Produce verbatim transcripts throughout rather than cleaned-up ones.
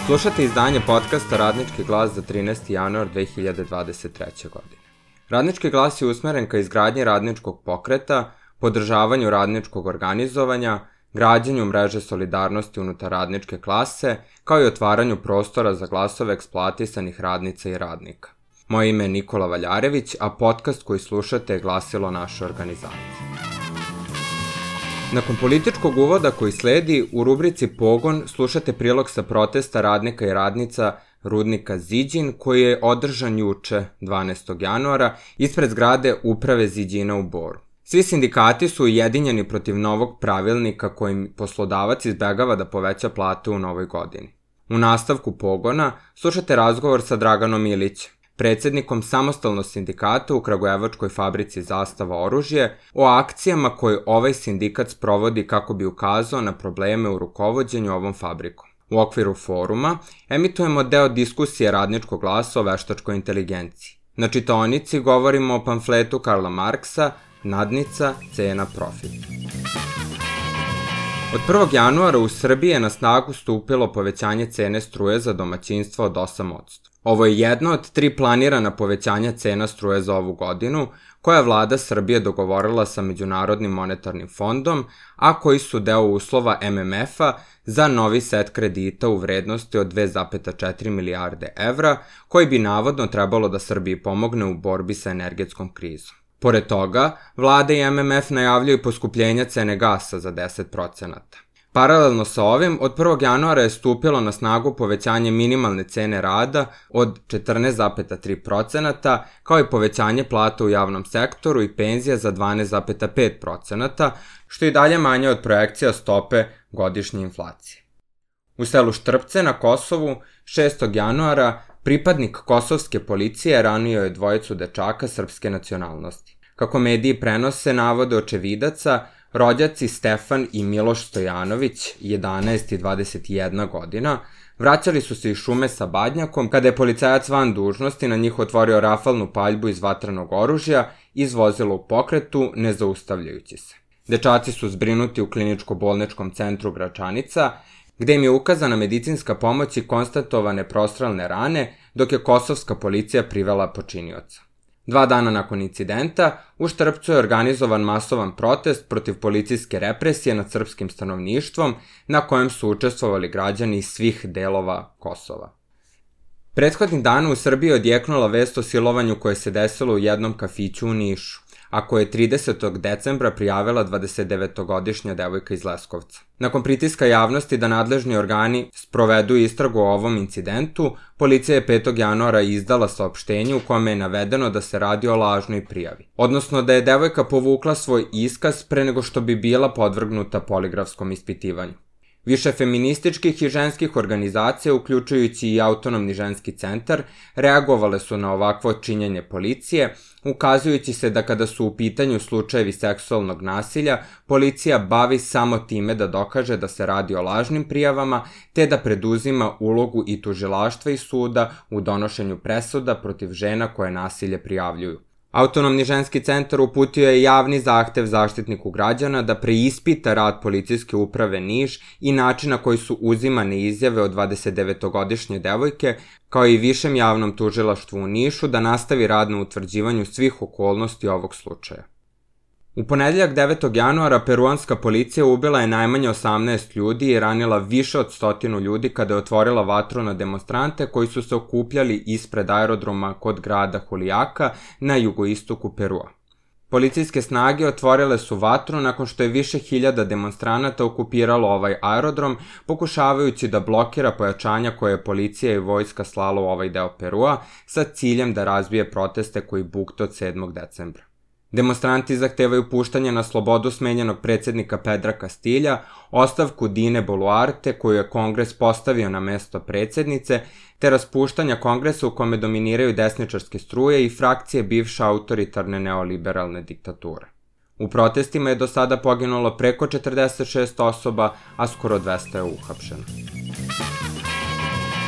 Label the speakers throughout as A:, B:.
A: Slušate izdanje podcasta Radnički glas za trinaesti januar dve hiljade dvadeset treće. godine. Radnički glas je usmeren ka izgradnji radničkog pokreta, podržavanju radničkog organizovanja, građenju mreže solidarnosti unutar radničke klase, kao i otvaranju prostora za glasove eksploatisanih radnica i radnika. Moje ime je Nikola Valjarević, a podcast koji slušate je glasilo naše organizacije. Nakon političkog uvoda koji sledi, u rubrici Pogon slušate prilog sa protesta radnika i radnica rudnika Ziđin, koji je održan juče, dvanaestog januara, ispred zgrade Uprave Ziđina u Boru. Svi sindikati su ujedinjeni protiv novog pravilnika kojim poslodavac izbegava da poveća plate u novoj godini. U nastavku Pogona slušate razgovor sa Draganom Ilićem, predsednikom samostalnog sindikata u kragujevačkoj fabrici Zastava oružje, o akcijama koje ovaj sindikat sprovodi kako bi ukazao na probleme u rukovođenju ovom fabrikom. U okviru foruma emitujemo deo diskusije Radničkog glasa o veštačkoj inteligenciji. Na čitaonici govorimo o pamfletu Karla Marksa Nadnica, cena, profit. Od prvog januara u Srbiji je na snagu stupilo povećanje cene struje za domaćinstva od osam posto. Ovo je jedno od tri planirana povećanja cena struje za ovu godinu, koja je vlada Srbije dogovorila sa Međunarodnim monetarnim fondom, a koji su deo uslova M M F-a za novi set kredita u vrednosti od dve zarez četiri milijarde evra, koji bi navodno trebalo da Srbiji pomogne u borbi sa energetskom krizom. Pored toga, vlada i M M F najavljuju poskupljenja cene gasa za deset procenata. Paralelno sa ovim, od prvog januara je stupilo na snagu povećanje minimalne cene rada od četrnaest zarez tri procenata, kao i povećanje plata u javnom sektoru i penzija za dvanaest zarez pet procenata, što je i dalje manje od projekcija stope godišnje inflacije. U selu Štrpce na Kosovu, šestog januara, pripadnik kosovske policije ranio je dvojicu dečaka srpske nacionalnosti. Kako mediji prenose navode očevidaca, rođaci Stefan i Miloš Stojanović, jedanaest i dvadeset jedna godina, vraćali su se iz šume sa badnjakom kada je policajac van dužnosti na njih otvorio rafalnu paljbu iz vatrenog oružja i izvozilo u pokretu, ne zaustavljajući se. Dečaci su zbrinuti u kliničko-bolničkom centru Gračanica, gde im je ukazana medicinska pomoć i konstatovane prostrelne rane, dok je kosovska policija privela počinioca. Dva dana nakon incidenta, u Štrpcu je organizovan masovan protest protiv policijske represije nad srpskim stanovništvom, na kojem su učestvovali građani iz svih delova Kosova. Prethodnih dana u Srbiji je odjeknula vest o silovanju koje se desilo u jednom kafiću u Nišu, a koje je tridesetog decembra prijavila dvadesetdevetogodišnja devojka iz Leskovca. Nakon pritiska javnosti da nadležni organi sprovedu istragu o ovom incidentu, policija je petog januara izdala saopštenje u kome je navedeno da se radi o lažnoj prijavi, odnosno da je devojka povukla svoj iskaz pre nego što bi bila podvrgnuta poligrafskom ispitivanju. Više feminističkih i ženskih organizacija, uključujući i Autonomni ženski centar, reagovale su na ovakvo činjenje policije, ukazujući se da kada su u pitanju slučajevi seksualnog nasilja, policija bavi samo time da dokaže da se radi o lažnim prijavama, te da preduzima ulogu i tužilaštva i suda u donošenju presuda protiv žena koje nasilje prijavljuju. Autonomni ženski centar uputio je javni zahtev Zaštitniku građana da preispita rad policijske uprave Niš i način na koji su uzimane izjave od dvadesetdevetogodišnje devojke, kao i Višem javnom tužilaštvu u Nišu da nastavi rad na utvrđivanju svih okolnosti ovog slučaja. U ponedeljak devetog januara peruanska policija ubila je najmanje osamnaest ljudi i ranila više od stotinu ljudi kada je otvorila vatru na demonstrante koji su se okupljali ispred aerodroma kod grada Julijaka na jugoistoku Perua. Policijske snage otvorile su vatru nakon što je više hiljada demonstranata okupiralo ovaj aerodrom, pokušavajući da blokira pojačanja koje je policija i vojska slala u ovaj deo Perua sa ciljem da razbije proteste koji bukte od sedmog decembra. Demonstranti zahtevaju puštanje na slobodu smenjenog predsednika Pedra Castilja, ostavku Dine Boluarte koju je Kongres postavio na mesto predsednice, te raspuštanja Kongresa u kome dominiraju desničarske struje i frakcije bivše autoritarne neoliberalne diktature. U protestima je do sada poginulo preko četrdeset šest osoba, a skoro dvesta je uhapšeno.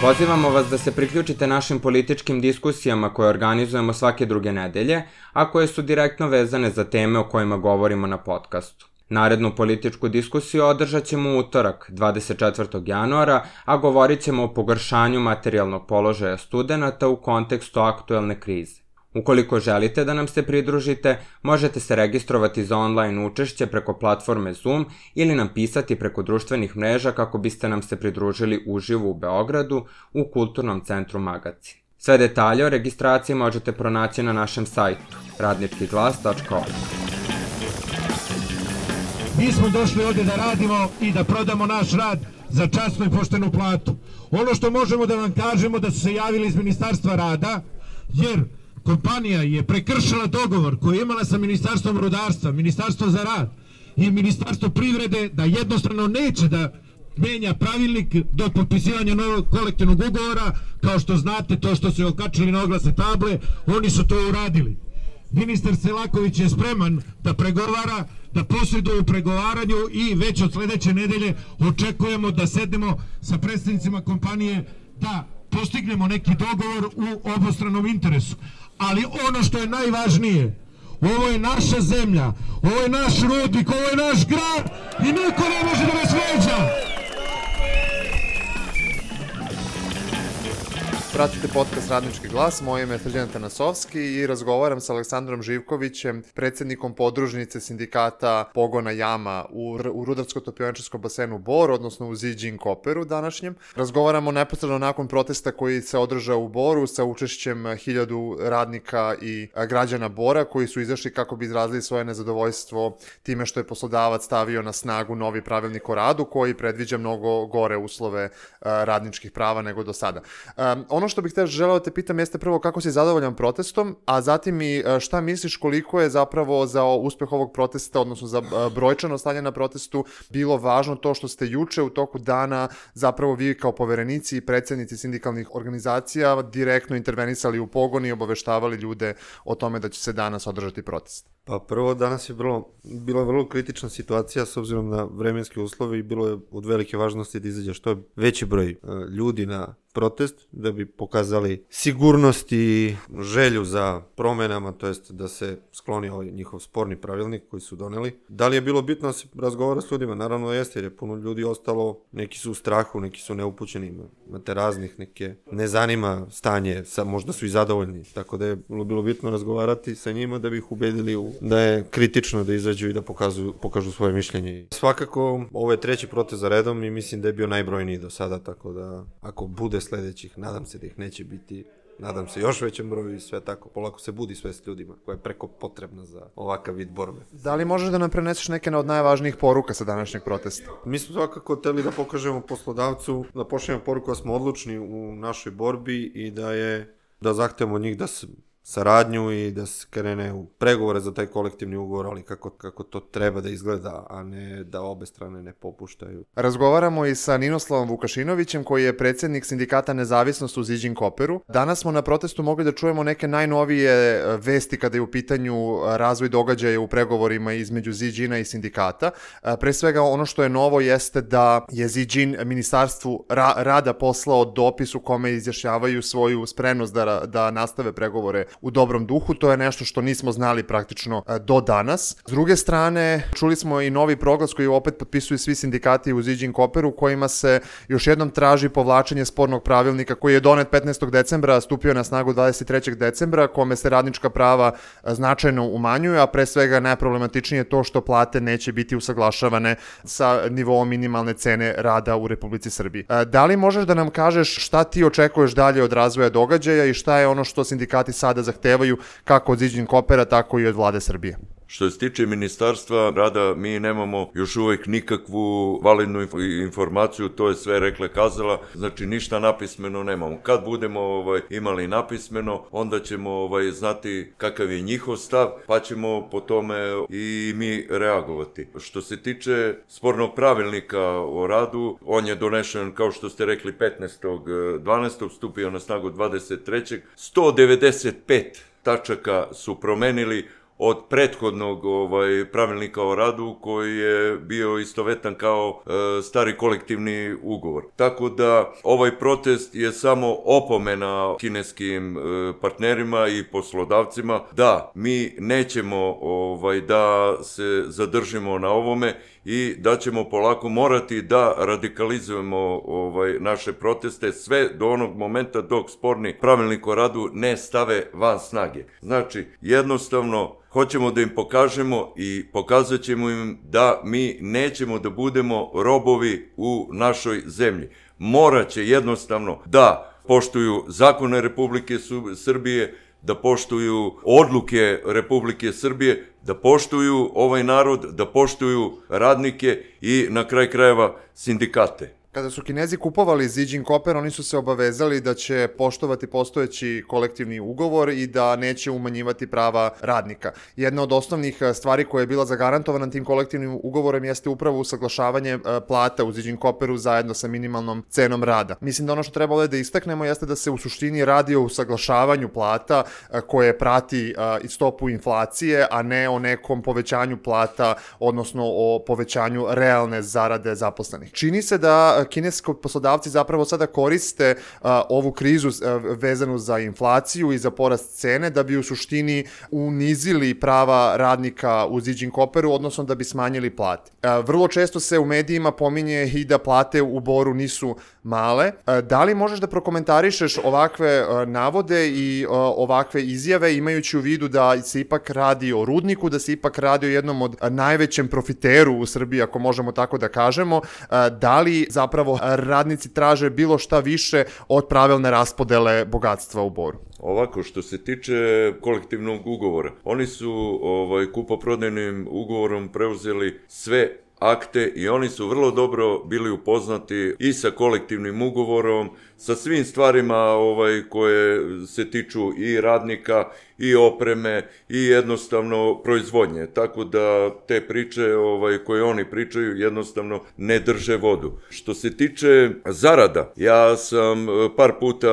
A: Pozivamo vas da se priključite našim političkim diskusijama koje organizujemo svake druge nedelje, a koje su direktno vezane za teme o kojima govorimo na podcastu. Narednu političku diskusiju održat ćemo u utorak, dvadeset četvrtog januara, a govorit ćemo o pogoršanju materijalnog položaja studenata u kontekstu aktuelne krize. Ukoliko želite da nam se pridružite, možete se registrovati za online učešće preko platforme Zoom ili nam pisati preko društvenih mreža kako biste nam se pridružili uživo u Beogradu u Kulturnom centru Magacin. Sve detalje o registraciji možete pronaći na našem sajtu radnički glas tačka org.
B: Mi smo došli ovdje da radimo i da prodamo naš rad za časnu i poštenu platu. Ono što možemo da vam kažemo da su se javili iz Ministarstva rada, jer kompanija je prekršila dogovor koji je imala sa Ministarstvom rudarstva, Ministarstvo za rad i Ministarstvo privrede da jednostavno neće da menja pravilnik do potpisivanja novog kolektivnog ugovora. Kao što znate, to što su okačili na oglasne table, oni su to uradili. Ministar Selaković je spreman da pregovara, da posreduje u pregovaranju i već od sledeće nedelje očekujemo da sednemo sa predstavnicima kompanije da postignemo neki dogovor u obostranom interesu. Ali ono što je najvažnije, ovo je naša zemlja, ovo je naš rudnik, ovo je naš grad i niko ne može da nas vređa.
C: Pratite podcast Radnički glas, moje ime je Srđan Tanasovski i razgovaram sa Aleksandrom Živkovićem, predsjednikom podružnice sindikata Pogona Jama u, u Rudarsko-topioničarskom basenu Bor, odnosno u Ziđin Koperu današnjem. Razgovaramo neposredno nakon protesta koji se održao u Boru sa učešćem hiljadu radnika i građana Bora koji su izašli kako bi izrazili svoje nezadovoljstvo time što je poslodavac stavio na snagu novi pravilnik o radu koji predviđa mnogo gore uslove radničkih prava nego do sada. Ono što bih te želeo te pitam jeste prvo kako si zadovoljan protestom, a zatim i šta misliš koliko je zapravo za uspeh ovog protesta, odnosno za brojčano stanje na protestu, bilo važno to što ste juče u toku dana zapravo vi kao poverenici i predsjednici sindikalnih organizacija direktno intervenisali u pogon i obaveštavali ljude o tome da će se danas održati protest?
D: Pa prvo, danas je bilo, bila je vrlo kritična situacija s obzirom na vremenske uslove i bilo je od velike važnosti da izađe što je veći broj ljudi na protest, da bi pokazali sigurnost i želju za promenama, to jest da se skloni ovaj njihov sporni pravilnik koji su doneli. Da li je bilo bitno da se razgovara s ljudima? Naravno jeste, jer je puno ljudi ostalo, neki su u strahu, neki su neupućeni, imate raznih, neke ne zanima stanje, možda su i zadovoljni, tako da je bilo bitno razgovarati sa njima da bi ih ubedili u, da je kritično da izađu i da pokažu, pokažu svoje mišljenje. Svakako, ovo je treći protest za redom i mislim da je bio najbrojniji do sada, tako da ako bude sledećih, nadam se da ih neće biti, nadam se još većem broju i sve tako, polako se budi svest ljudima koja je preko potrebna za ovakav vid borbe.
C: Da li možeš da nam preneseš neke od najvažnijih poruka sa današnjeg protesta?
D: Mi smo svakako hteli da pokažemo poslodavcu, da pošaljemo poruku da smo odlučni u našoj borbi i da je, da zahtevamo od njih da se saradnju i da se krene u pregovore za taj kolektivni ugovor, ali kako, kako to treba da izgleda, a ne da obe strane ne popuštaju.
C: Razgovaramo i sa Ninoslavom Vukašinovićem koji je predsjednik sindikata Nezavisnost u Ziđin Koperu. Danas smo na protestu mogli da čujemo neke najnovije vesti kada je u pitanju razvoj događaja u pregovorima između Ziđina i sindikata. Pre svega ono što je novo jeste da je Ziđin ministarstvu ra- rada poslao dopis u kome izjašnjavaju svoju spremnost da, da nastave pregovore u dobrom duhu. To je nešto što nismo znali praktično do danas. S druge strane, čuli smo i novi proglas koji opet potpisuju svi sindikati u Ziđin Koperu, kojima se još jednom traži povlačenje spornog pravilnika koji je donet petnaestog decembra, stupio na snagu dvadeset trećeg decembra, kome se radnička prava značajno umanjuju, a pre svega najproblematičnije je to što plate neće biti usaglašavane sa nivoom minimalne cene rada u Republici Srbiji. Da li možeš da nam kažeš šta ti očekuješ dalje od razvoja događaja i šta je ono što sindikati sada zahtevaju kako od Ziđin Kopera, tako i od vlade Srbije?
E: Što se tiče Ministarstva rada, mi nemamo još uvijek nikakvu validnu informaciju, to je sve rekla kazala, znači ništa napismeno nemamo. Kad budemo ovaj, imali napismeno, onda ćemo ovaj, znati kakav je njihov stav, pa ćemo po tome i mi reagovati. Što se tiče spornog pravilnika o radu, on je donešen, kao što ste rekli, petnaestog dvanaestog stupio na snagu dvadeset trećeg sto devedeset pet tačaka su promenili od prethodnog ovaj, pravilnika o radu koji je bio istovetan kao e, stari kolektivni ugovor. Tako da ovaj protest je samo opomena kineskim e, partnerima i poslodavcima da mi nećemo ovaj, da se zadržimo na ovome i da ćemo polako morati da radikalizujemo ovaj, naše proteste sve do onog momenta dok sporni pravilnik o radu ne stave van snage. Znači, jednostavno, hoćemo da im pokažemo i pokazat ćemo im da mi nećemo da budemo robovi u našoj zemlji. Moraće jednostavno da poštuju zakone Republike Srbije, da poštuju odluke Republike Srbije, da poštuju ovaj narod, da poštuju radnike i na kraj krajeva sindikate.
C: Kada su Kinezi kupovali Zijin Copper, oni su se obavezali da će poštovati postojeći kolektivni ugovor i da neće umanjivati prava radnika. Jedna od osnovnih stvari koja je bila zagarantovana tim kolektivnim ugovorom jeste upravo usaglašavanje plata u Zijin Copperu zajedno sa minimalnom cenom rada. Mislim da ono što treba ovdje da istaknemo jeste da se u suštini radi o usaglašavanju plata koje prati i stopu inflacije, a ne o nekom povećanju plata, odnosno o povećanju realne zarade zaposlenih. Čini se da kineski poslodavci zapravo sada koriste uh, ovu krizu uh, vezanu za inflaciju i za porast cene da bi u suštini unizili prava radnika u Zijin Copperu, odnosno da bi smanjili plate. Uh, vrlo često se u medijima pominje i da plate u Boru nisu male. Uh, da li možeš da prokomentarišeš ovakve uh, navode i uh, ovakve izjave, imajući u vidu da se ipak radi o rudniku, da se ipak radi o jednom od uh, najvećem profiteru u Srbiji, ako možemo tako da kažemo, uh, da li zapravo Zapravo radnici traže bilo šta više od pravilne raspodele bogatstva u Boru?
E: Ovako, što se tiče kolektivnog ugovora, oni su ovaj, kupoprodajnim ugovorom preuzeli sve akte i oni su vrlo dobro bili upoznati i sa kolektivnim ugovorom, sa svim stvarima ovaj, koje se tiču i radnika, i opreme, i jednostavno proizvodnje. Tako da te priče ovaj, koje oni pričaju jednostavno ne drže vodu. Što se tiče zarada, ja sam par puta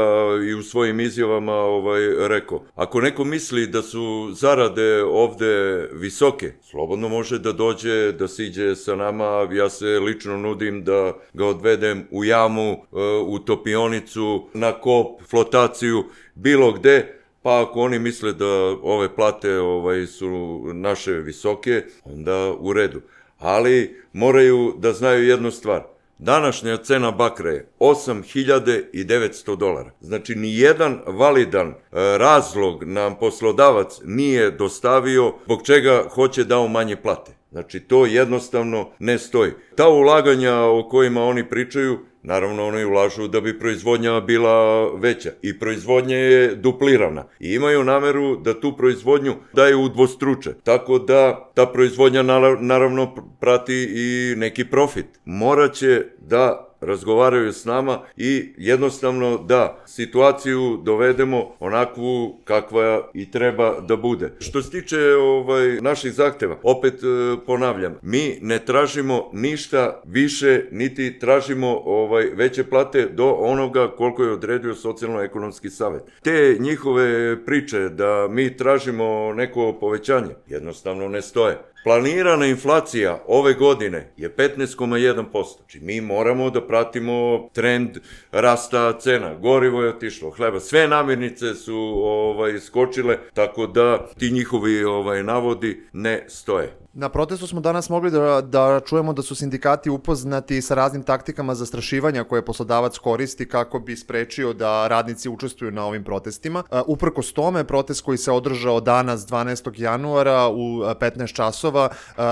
E: i u svojim izjavama ovaj, rekao, ako neko misli da su zarade ovde visoke, slobodno može da dođe, da siđe sa nama, ja se lično nudim da ga odvedem u jamu, u topionicu, na kop, flotaciju, bilo gde. Pa ako oni misle da ove plate ovaj, su naše visoke, onda u redu. Ali moraju da znaju jednu stvar. Današnja cena bakra je osam hiljada devetsto dolara. Znači, nijedan validan e, razlog nam poslodavac nije dostavio zbog čega hoće da umanje plate. Znači, to jednostavno ne stoji. Ta ulaganja o kojima oni pričaju, naravno oni ulažu da bi proizvodnja bila veća i proizvodnja je duplirana i imaju nameru da tu proizvodnju daju udvostruče, tako da ta proizvodnja naravno prati i neki profit. Moraće da razgovaraju s nama i jednostavno da situaciju dovedemo onakvu kakva i treba da bude. Što se tiče ovaj, naših zahteva, opet e, ponavljam, mi ne tražimo ništa više, niti tražimo ovaj, veće plate do onoga koliko je odredio Socijalno-ekonomski savet. Te njihove priče da mi tražimo neko povećanje jednostavno ne stoje. Planirana inflacija ove godine je petnaest zarez jedan posto. Znači mi moramo da pratimo trend rasta cena. Gorivo je otišlo, hleba, sve namirnice su ovaj, skočile, tako da ti njihovi ovaj, navodi ne stoje.
C: Na protestu smo danas mogli da, da čujemo da su sindikati upoznati sa raznim taktikama zastrašivanja koje poslodavac koristi kako bi sprečio da radnici učestvuju na ovim protestima. Uprkos tome, protest koji se održao danas dvanaestog januara u petnaest časova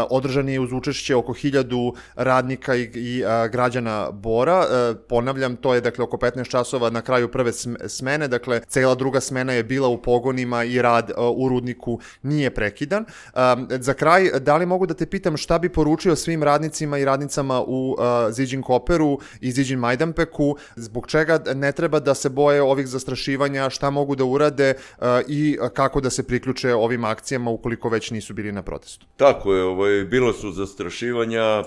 C: održan je uz učešće oko hiljadu radnika i, i građana Bora. Ponavljam, to je dakle oko petnaest časova na kraju prve smene, dakle cela druga smena je bila u pogonima i rad u rudniku nije prekidan. Za kraj, da li mogu da te pitam šta bi poručio svim radnicima i radnicama u uh, Zijin Copperu i Zijin Majdanpeku, zbog čega ne treba da se boje ovih zastrašivanja, šta mogu da urade uh, i kako da se priključe ovim akcijama ukoliko već nisu bili na protestu?
E: Tako je, ovaj, bilo su zastrašivanja,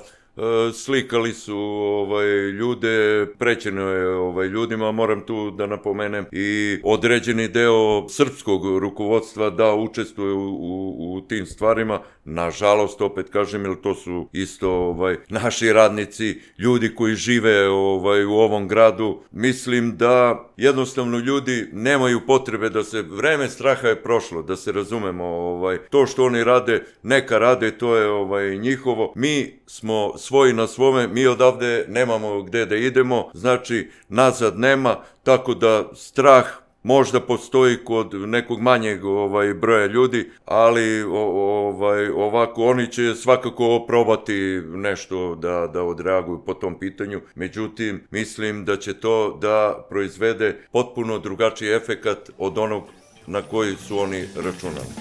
E: slikali su ovaj, ljude, prećeno je ovaj, ljudima, moram tu da napomenem i određeni deo srpskog rukovodstva da učestvuje u, u, u tim stvarima, nažalost, opet kažem, jer to su isto ovaj, naši radnici, ljudi koji žive ovaj, u ovom gradu. Mislim da jednostavno ljudi nemaju potrebe da se, vreme straha je prošlo, da se razumemo, ovaj, to što oni rade, neka rade, to je ovaj, njihovo, mi smo svoji na svome, mi odavde nemamo gde da idemo, znači nazad nema, tako da strah možda postoji kod nekog manjeg ovaj, broja ljudi, ali o, ovaj, ovako oni će svakako probati nešto da, da odreaguju po tom pitanju, međutim mislim da će to da proizvede potpuno drugačiji efekat od onog na koji su oni računali.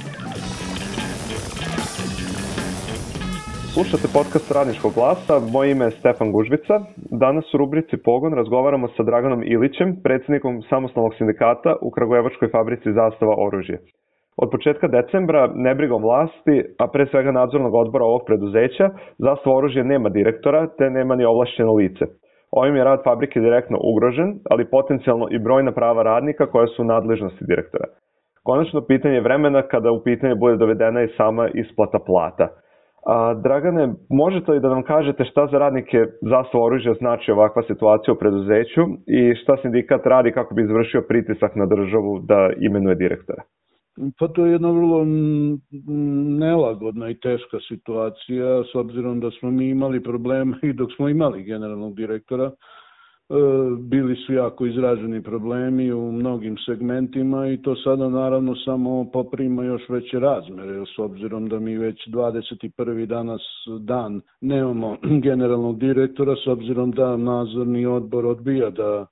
F: Slušate podcast Radničkog glasa, moje ime je Stefan Gužvica. Danas u rubrici Pogon razgovaramo sa Draganom Ilićem, predsjednikom samostalnog sindikata u kragujevačkoj fabrici Zastava oružje. Od početka decembra, nebrigom vlasti, a pre svega nadzornog odbora ovog preduzeća, Zastava oružje nema direktora, te nema ni ovlašćeno lice. Ovim je rad fabrike direktno ugrožen, ali potencijalno i brojna prava radnika koja su u nadležnosti direktora. Konačno pitanje vremena kada u pitanje bude dovedena i sama isplata plata. A, Dragane, možete li da nam kažete šta za radnike Zastava oružja znači ovakva situacija u preduzeću i šta sindikat radi kako bi izvršio pritisak na državu da imenuje direktora?
G: Pa to je jedna vrlo nelagodna i teška situacija, s obzirom da smo mi imali problema i dok smo imali generalnog direktora. Bili su jako izraženi problemi u mnogim segmentima i to sada naravno samo poprima još veće razmere, s obzirom da mi već dvadeset prvi danas dan nemamo generalnog direktora, s obzirom da nadzorni odbor odbija da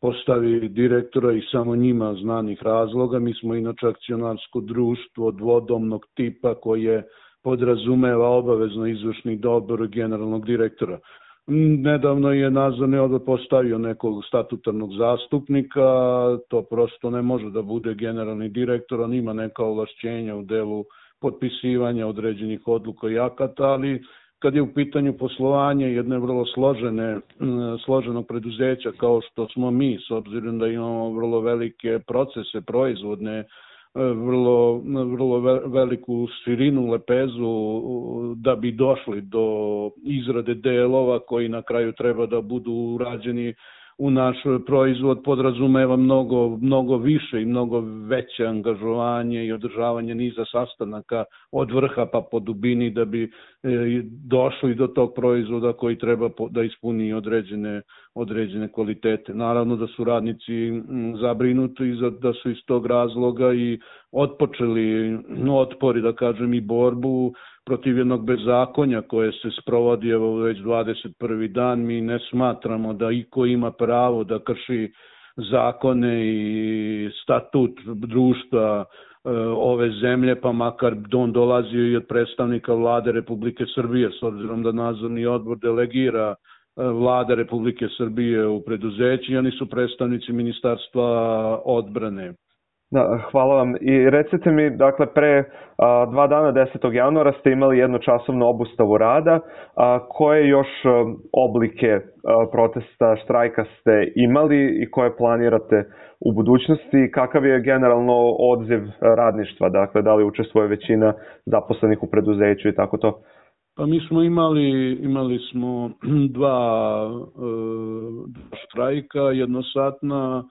G: postavi direktora i samo njima znanih razloga. Mi smo inače akcionarsko društvo dvodomnog tipa koje podrazumeva obavezno izvršni odbor generalnog direktora. Nedavno je nadzorni odbor postavio nekog statutarnog zastupnika, to prosto ne može da bude generalni direktor, on ima neka ovlašćenja u delu potpisivanja određenih odluka i akata, ali kad je u pitanju poslovanje jedne vrlo složene, složenog preduzeća kao što smo mi, s obzirom da imamo vrlo velike procese proizvodne, vrlo, vrlo veliku širinu, lepezu da bi došli do izrade delova koji na kraju treba da budu urađeni u naš proizvod, podrazumeva mnogo, mnogo više i mnogo veće angažovanje i održavanje niza sastanaka od vrha pa po dubini da bi došli do tog proizvoda koji treba da ispuni određene, određene kvalitete. Naravno da su radnici zabrinuti i da su iz tog razloga i otpočeli otpori, da kažem, i borbu protiv jednog bezakonja koje se sprovodi evo već dvadeset prvi dan. Mi ne smatramo da iko ima pravo da krši zakone i statut društva ove zemlje, pa makar on dolazio i od predstavnika vlade Republike Srbije, s obzirom da nadzorni odbor delegira vlada Republike Srbije u preduzeći, oni su predstavnici Ministarstva odbrane.
F: Da, hvala vam. I recite mi, dakle, pre a, dva dana, desetog januara, ste imali jednočasovnu obustavu rada. A, koje još a, oblike a, protesta, štrajka ste imali i koje planirate u budućnosti? Kakav je generalno odziv radništva? Dakle, da li učestvuje većina zaposlenih u preduzeću i tako to?
G: Pa mi smo imali, imali smo dva, dva štrajka, jednosatna,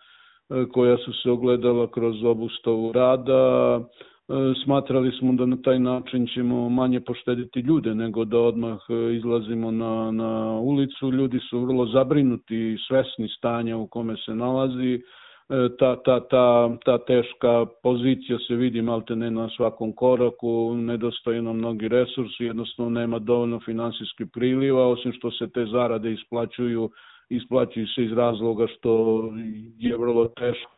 G: koja su se ogledala kroz obustavu rada. Smatrali smo da na taj način ćemo manje poštediti ljude nego da odmah izlazimo na, na ulicu. Ljudi su vrlo zabrinuti i svesni stanja u kome se nalazi. Ta, ta, ta, ta teška pozicija se vidi maltene na svakom koraku, nedostaju nam mnogi resursi, jednostavno nema dovoljno finansijskih priliva, osim što se te zarade isplaćuju isplaćuju se iz razloga što je vrlo teško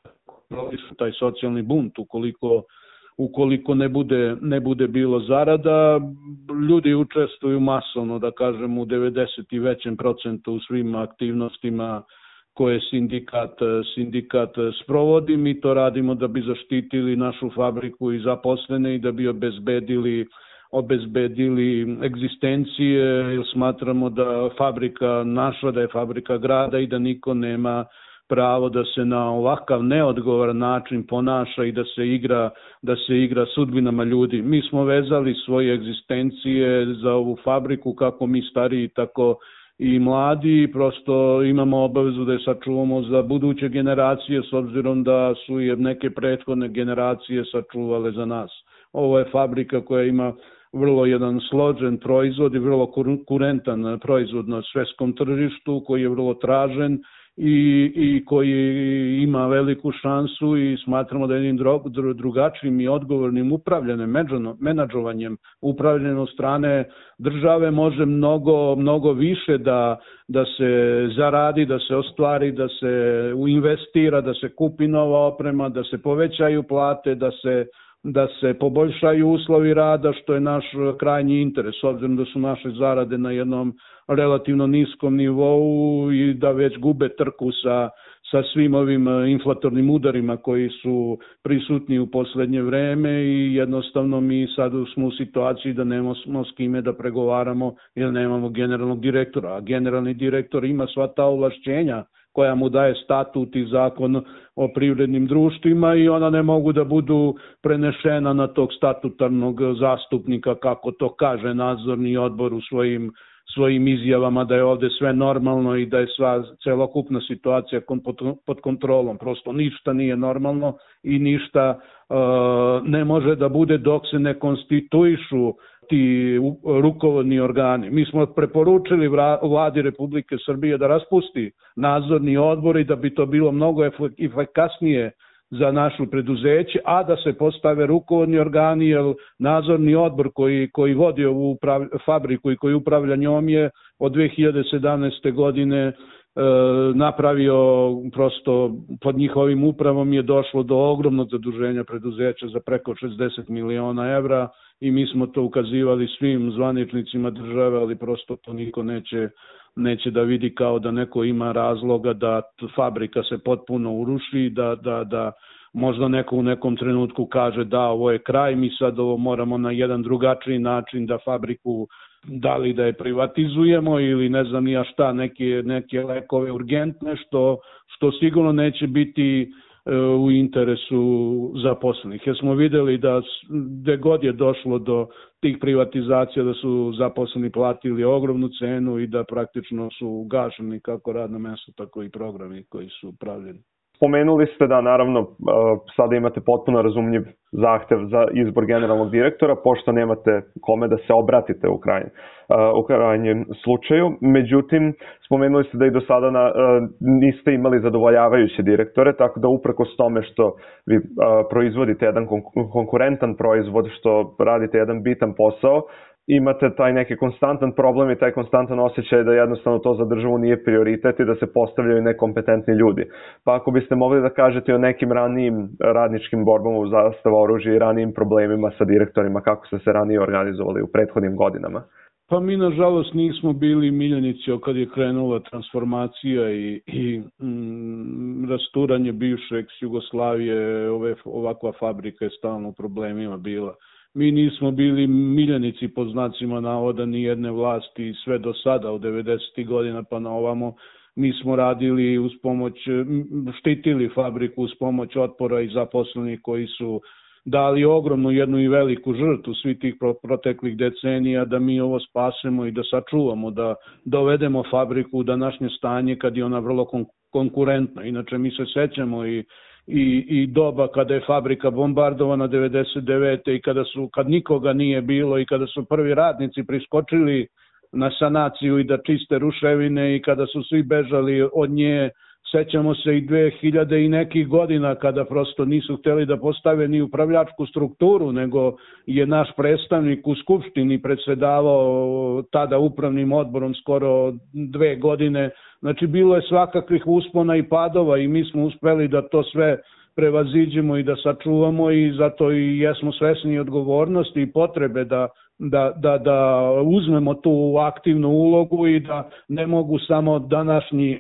G: taj socijalni bunt. Ukoliko, ukoliko ne bude, ne bude bilo zarada, ljudi učestvuju masovno, da kažem, u devedeset i većem procentu u svim aktivnostima koje sindikat, sindikat sprovodi. Mi to radimo da bi zaštitili našu fabriku i zaposlene i da bi obezbedili obezbedili egzistencije, jer smatramo da fabrika naša, da je fabrika grada i da niko nema pravo da se na ovakav neodgovoran način ponaša i da se igra, da se igra sudbinama ljudi. Mi smo vezali svoje egzistencije za ovu fabriku, kako mi stariji, tako i mladi, prosto imamo obavezu da je sačuvamo za buduće generacije, s obzirom da su je neke prethodne generacije sačuvale za nas. Ovo je fabrika koja ima vrlo jedan složen proizvod i vrlo konkurentan proizvod na svetskom tržištu, koji je vrlo tražen i, i koji ima veliku šansu i smatramo da jednim drugačijim i odgovornim upravljanjem, menadžovanjem, upravljanjem od strane države može mnogo, mnogo više da, da se zaradi, da se ostvari, da se investira, da se kupi nova oprema, da se povećaju plate, da se da se poboljšaju uslovi rada, što je naš krajnji interes, s obzirom da su naše zarade na jednom relativno niskom nivou i da već gube trku sa, sa svim ovim inflatornim udarima koji su prisutni u poslednje vreme i jednostavno mi sad smo u situaciji da nemamo s kime da pregovaramo jer nemamo generalnog direktora, a generalni direktor ima sva ta ovlašćenja koja mu daje statut i zakon o privrednim društvima i ona ne mogu da budu prenešena na tog statutarnog zastupnika, kako to kaže nadzorni odbor u svojim, svojim izjavama da je ovde sve normalno i da je sva celokupna situacija pod kontrolom. Prosto ništa nije normalno i ništa uh, ne može da bude dok se ne konstituišu ti rukovodni organi. Mi smo preporučili vladi Republike Srbije da raspusti nadzorni odbor i da bi to bilo mnogo efikasnije za našu preduzeće, a da se postave rukovodni organi, jer nadzorni odbor koji, koji vodi ovu fabriku i koji upravlja njom je od dve hiljade sedamnaeste godine napravio, prosto pod njihovim upravom je došlo do ogromnog zaduženja preduzeća za preko šezdeset miliona evra i mi smo to ukazivali svim zvaničnicima države, ali prosto to niko neće, neće da vidi kao da neko ima razloga da fabrika se potpuno uruši, da, da, da možda neko u nekom trenutku kaže da ovo je kraj, mi sad ovo moramo na jedan drugačiji način da fabriku da li da je privatizujemo ili ne znam nija šta, neke, neke lekove urgentne, što, što sigurno neće biti e, u interesu zaposlenih. Jer smo videli da gde god je došlo do tih privatizacija da su zaposleni platili ogromnu cenu i da praktično su gašeni kako radno mesto, tako i programi koji su pravljeni.
F: Spomenuli ste da naravno sada imate potpuno razumljiv zahtev za izbor generalnog direktora, pošto nemate kome da se obratite u krajnjem, u krajnjem slučaju. Međutim, spomenuli ste da i do sada na, niste imali zadovoljavajuće direktore, tako da uprkos tome što vi proizvodite jedan konkurentan proizvod, što radite jedan bitan posao, imate taj neki konstantan problem i taj konstantan osjećaj da jednostavno to za državu nije prioritet i da se postavljaju nekompetentni ljudi. Pa ako biste mogli da kažete o nekim ranijim radničkim borbama u Zastava oružja i ranijim problemima sa direktorima, kako ste se ranije organizovali u prethodnim godinama?
G: Pa mi nažalost nismo bili miljenici kad je krenula transformacija i, i mm, rasturanje bivše Jugoslavije, ove, ovakva fabrika je stalno u problemima bila. Mi nismo bili miljenici pod znacima navoda ni jedne vlasti sve do sada od devedesetih godina pa na ovamo. Mi smo radili uz pomoć, štitili fabriku uz pomoć otpora i zaposlenih koji su dali ogromnu jednu i veliku žrtvu svih tih proteklih decenija da mi ovo spasemo i da sačuvamo, da dovedemo fabriku u današnje stanje kad je ona vrlo konkurentna. Inače mi se sećamo i I, i doba kada je fabrika bombardovana devedeset devete i kada su kad nikoga nije bilo i kada su prvi radnici priskočili na sanaciju i da čiste ruševine i kada su svi bežali od nje. Sećamo se i dve hiljade i nekih godina kada prosto nisu hteli da postave ni upravljačku strukturu, nego je naš predstavnik u Skupštini predsedavao tada upravnim odborom skoro dve godine. Znači bilo je svakakvih uspona i padova i mi smo uspeli da to sve prevaziđemo i da sačuvamo i zato i jesmo svesni odgovornosti i potrebe da da, da, da uzmemo tu aktivnu ulogu i da ne mogu samo današnji,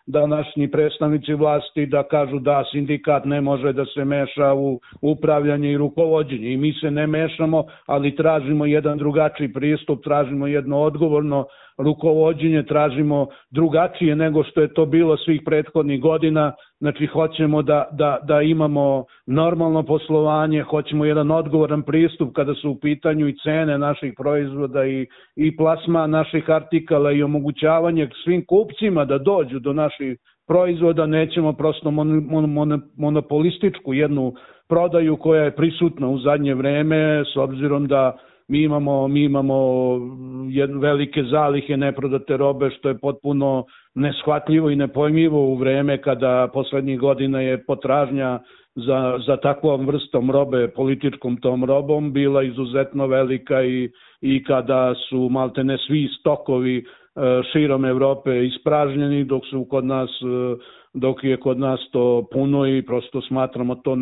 G: današnji predstavnici vlasti da kažu da sindikat ne može da se meša u upravljanje i rukovođenje. I mi se ne mešamo, ali tražimo jedan drugačiji pristup, tražimo jedno odgovorno rukovođenje, tražimo drugačije nego što je to bilo svih prethodnih godina. Znači, hoćemo da, da, da imamo normalno poslovanje, hoćemo jedan odgovoran pristup kada su u pitanju i cene naših proizvoda i, i plasma naših artikala i omogućavanje svim kupcima da dođu do naših proizvoda. Nećemo prosto mon, mon, mon, monopolističku jednu prodaju koja je prisutna u zadnje vreme, s obzirom da Mi imamo, mi imamo jedne velike zalihe neprodate robe, što je potpuno neshvatljivo i nepojmljivo u vreme kada poslednjih godina je potražnja za, za takvom vrstom robe, političkom tom robom, bila izuzetno velika i, i kada su maltene svi stokovi širom Evrope ispražnjeni, dok su kod nas dok je kod nas to puno i prosto smatramo to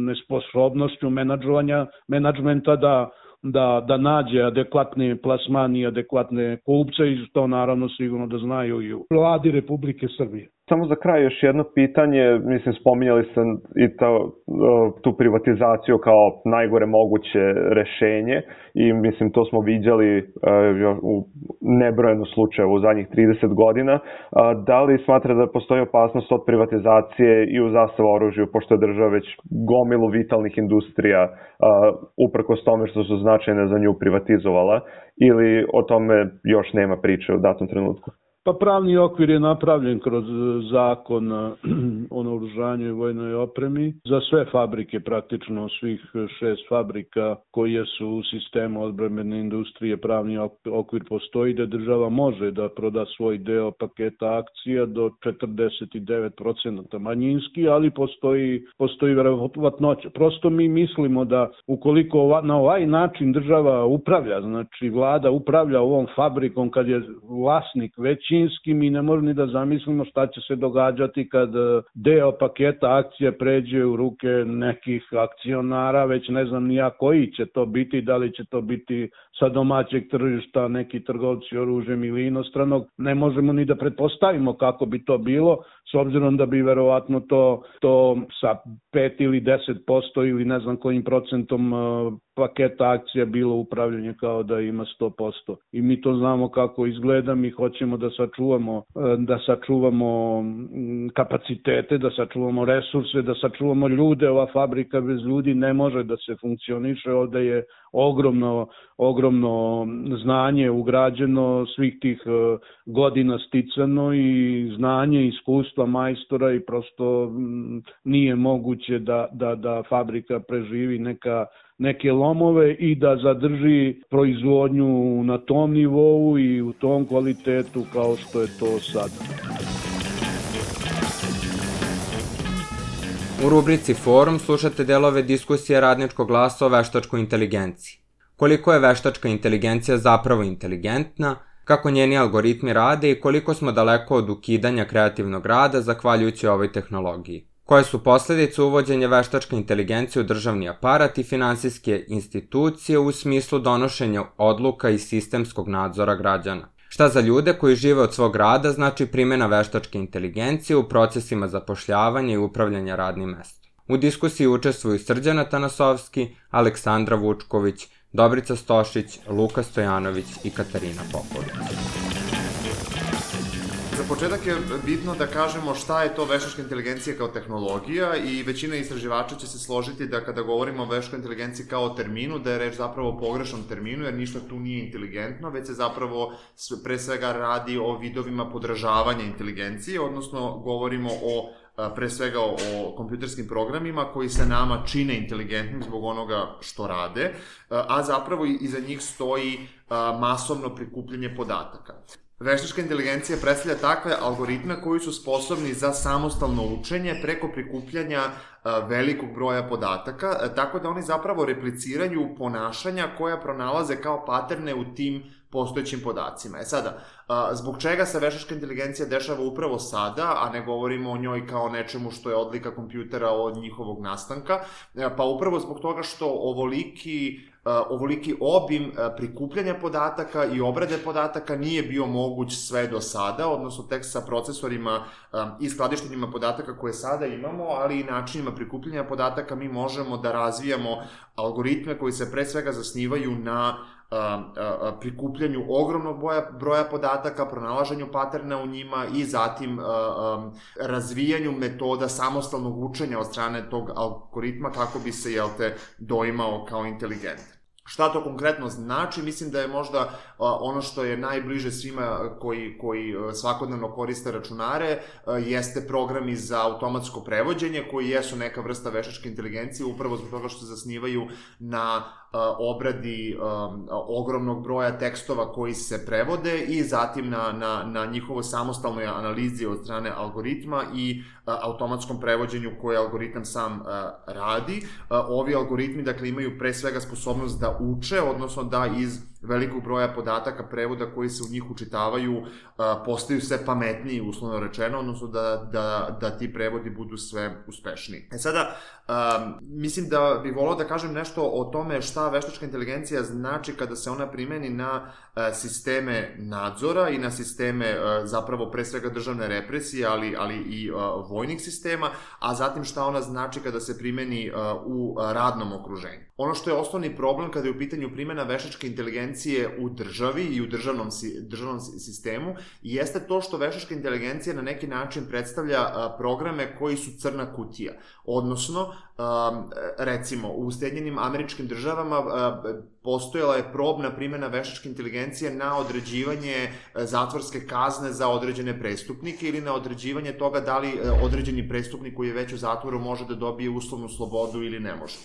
G: nesposobnošću menadžovanja, menadžmenta da da, da nađe adekvatne plasmane i adekvatne kupce i to naravno sigurno da znaju i u vladi Republike Srbije.
F: Samo za kraj još jedno pitanje, mislim spominjali ste i to, tu privatizaciju kao najgore moguće rešenje i mislim to smo viđali u nebrojeno slučajeva u zadnjih trideset godina. Da li smatra da postoji opasnost od privatizacije i u zastava oružju, pošto je država već gomilu vitalnih industrija uprkos tome što su značajne za nju privatizovala, ili o tome još nema priče u datom trenutku?
G: Pa pravni okvir je napravljen kroz zakon o naoružanju i vojnoj opremi. Za sve fabrike, praktično svih šest fabrika koje su u sistemu odbrambene industrije, pravni okvir postoji da država može da proda svoj deo paketa akcija do četrdeset devet procenata manjinski, ali postoji, postoji verovatnoća. Prosto mi mislimo da ukoliko na ovaj način država upravlja, znači vlada upravlja ovom fabrikom kad je vlasnik već mi ne možemo ni da zamislimo šta će se događati kad deo paketa akcija pređe u ruke nekih akcionara, već ne znam ni ja koji će to biti, da li će to biti sa domaćeg tržišta neki trgovci oružjem ili inostranog. Ne možemo ni da pretpostavimo kako bi to bilo, s obzirom da bi verovatno to, to sa pet ili deset posto ili ne znam kojim procentom paketa akcija bilo upravljanje kao da ima sto posto. I mi to znamo kako izgleda, mi hoćemo da sačuvamo, da sačuvamo kapacitete, da sačuvamo resurse, da sačuvamo ljude. Ova fabrika bez ljudi ne može da se funkcioniše, ovde je ogromno, ogromno znanje ugrađeno, svih tih godina sticano i znanje, iskustva majstora i prosto nije moguće da, da, da fabrika preživi neka neke lomove i da zadrži proizvodnju na tom nivou i u tom kvalitetu kao što je to sad.
A: U rubrici Forum slušate delove diskusije Radničkog glasa o veštačkoj inteligenciji. Koliko je veštačka inteligencija zapravo inteligentna, kako njeni algoritmi rade i koliko smo daleko od ukidanja kreativnog rada zahvaljujući ovoj tehnologiji. Koje su posljedice uvođenja veštačke inteligencije u državni aparat i finansijske institucije u smislu donošenja odluka i sistemskog nadzora građana? Šta za ljude koji žive od svog rada znači primjena veštačke inteligencije u procesima zapošljavanja i upravljanja radnim mestom? U diskusiji učestvuju Srđana Tanasovski, Aleksandra Vučković, Dobrica Stošić, Luka Stojanović i Katarina Popović.
C: Za početak je bitno da kažemo šta je to veštačka inteligencija kao tehnologija i većina istraživača će se složiti da kada govorimo o veštačkoj inteligenciji kao terminu, da je reč zapravo o pogrešnom terminu, jer ništa tu nije inteligentno, već se zapravo pre svega radi o vidovima podražavanja inteligencije, odnosno govorimo o pre svega o kompjuterskim programima koji se nama čine inteligentnim zbog onoga što rade, a zapravo iza njih stoji masovno prikupljanje podataka. Veštačka inteligencija predstavlja takve algoritme koji su sposobni za samostalno učenje preko prikupljanja velikog broja podataka, tako da oni zapravo repliciraju ponašanja koja pronalaze kao paterne u tim postojećim podacima. E sada, zbog čega se veštačka inteligencija dešava upravo sada, a ne govorimo o njoj kao nečemu što je odlika kompjutera od njihovog nastanka, pa upravo zbog toga što ovoliki
H: ovoliki obim prikupljanja podataka i obrade podataka nije bio moguć sve do sada, odnosno tek sa procesorima i skladištenjima podataka koje sada imamo, ali i načinima prikupljanja podataka mi možemo da razvijamo algoritme koji se pre svega zasnivaju na prikupljanju ogromnog broja podataka, pronalaženju paterna u njima i zatim razvijanju metoda samostalnog učenja od strane tog algoritma kako bi se, jel te, doimao kao inteligentan. Šta to konkretno znači? Mislim da je možda ono što je najbliže svima koji, koji svakodnevno koriste računare, jeste programi za automatsko prevođenje, koji jesu neka vrsta veštačke inteligencije, upravo zbog toga što se zasnivaju na obradi ogromnog broja tekstova koji se prevode i zatim na, na, na njihovo samostalnoj analizi od strane algoritma i automatskom prevođenju koje algoritam sam radi. Ovi algoritmi, dakle, imaju pre svega sposobnost da uče, odnosno da iz velikog broja podataka prevoda koji se u njih učitavaju postaju sve pametniji, uslovno rečeno, odnosno da, da, da ti prevodi budu sve uspešniji. E sada, mislim da bih volao da kažem nešto o tome šta veštačka inteligencija znači kada se ona primeni na sisteme nadzora i na sisteme zapravo pre svega državne represije, ali, ali i vojnih sistema, a zatim šta ona znači kada se primeni u radnom okruženju. Ono što je osnovni problem kada je u pitanju primjena veštačke inteligencije u državi i u državnom, državnom sistemu jeste to što veštačka inteligencija na neki način predstavlja programe koji su crna kutija. Odnosno, recimo, u Sjedinjenim Američkim Državama postojala je probna primjena veštačke inteligencije na određivanje zatvorske kazne za određene prestupnike ili na određivanje toga da li određeni prestupnik koji je već u zatvoru može da dobije uslovnu slobodu ili ne može.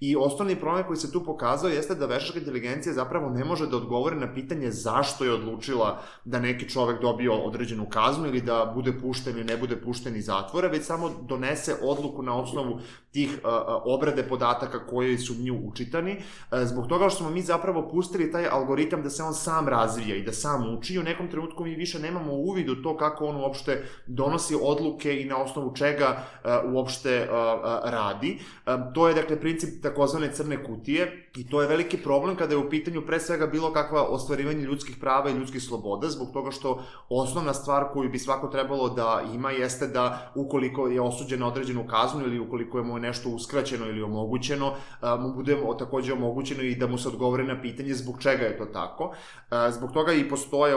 H: I osnovni problem koji se tu pokazao jeste da veštačka inteligencija zapravo ne može da odgovori na pitanje zašto je odlučila da neki čovek dobije određenu kaznu ili da bude pušten ili ne bude pušten iz zatvora, već samo donese odluku na osnovu tih obrade podataka koji su nju učitani. Zbog toga što smo mi zapravo pustili taj algoritam da se on sam razvija i da sam uči, u nekom trenutku mi više nemamo uvid u to kako on uopšte donosi odluke i na osnovu čega uopšte radi. To je, dakle, princip takozvane crne kutije i to je veliki problem kada je u pitanju pre svega bilo kakva ostvarivanje ljudskih prava i ljudskih sloboda, zbog toga što osnovna stvar koju bi svako trebalo da ima jeste da ukoliko je osuđen na određenu kaznu ili ukoliko je mu nešto uskraćeno ili omogućeno, mu bude takođe omogućeno i da mu se odgovore na pitanje zbog čega je to tako. Zbog toga i postoje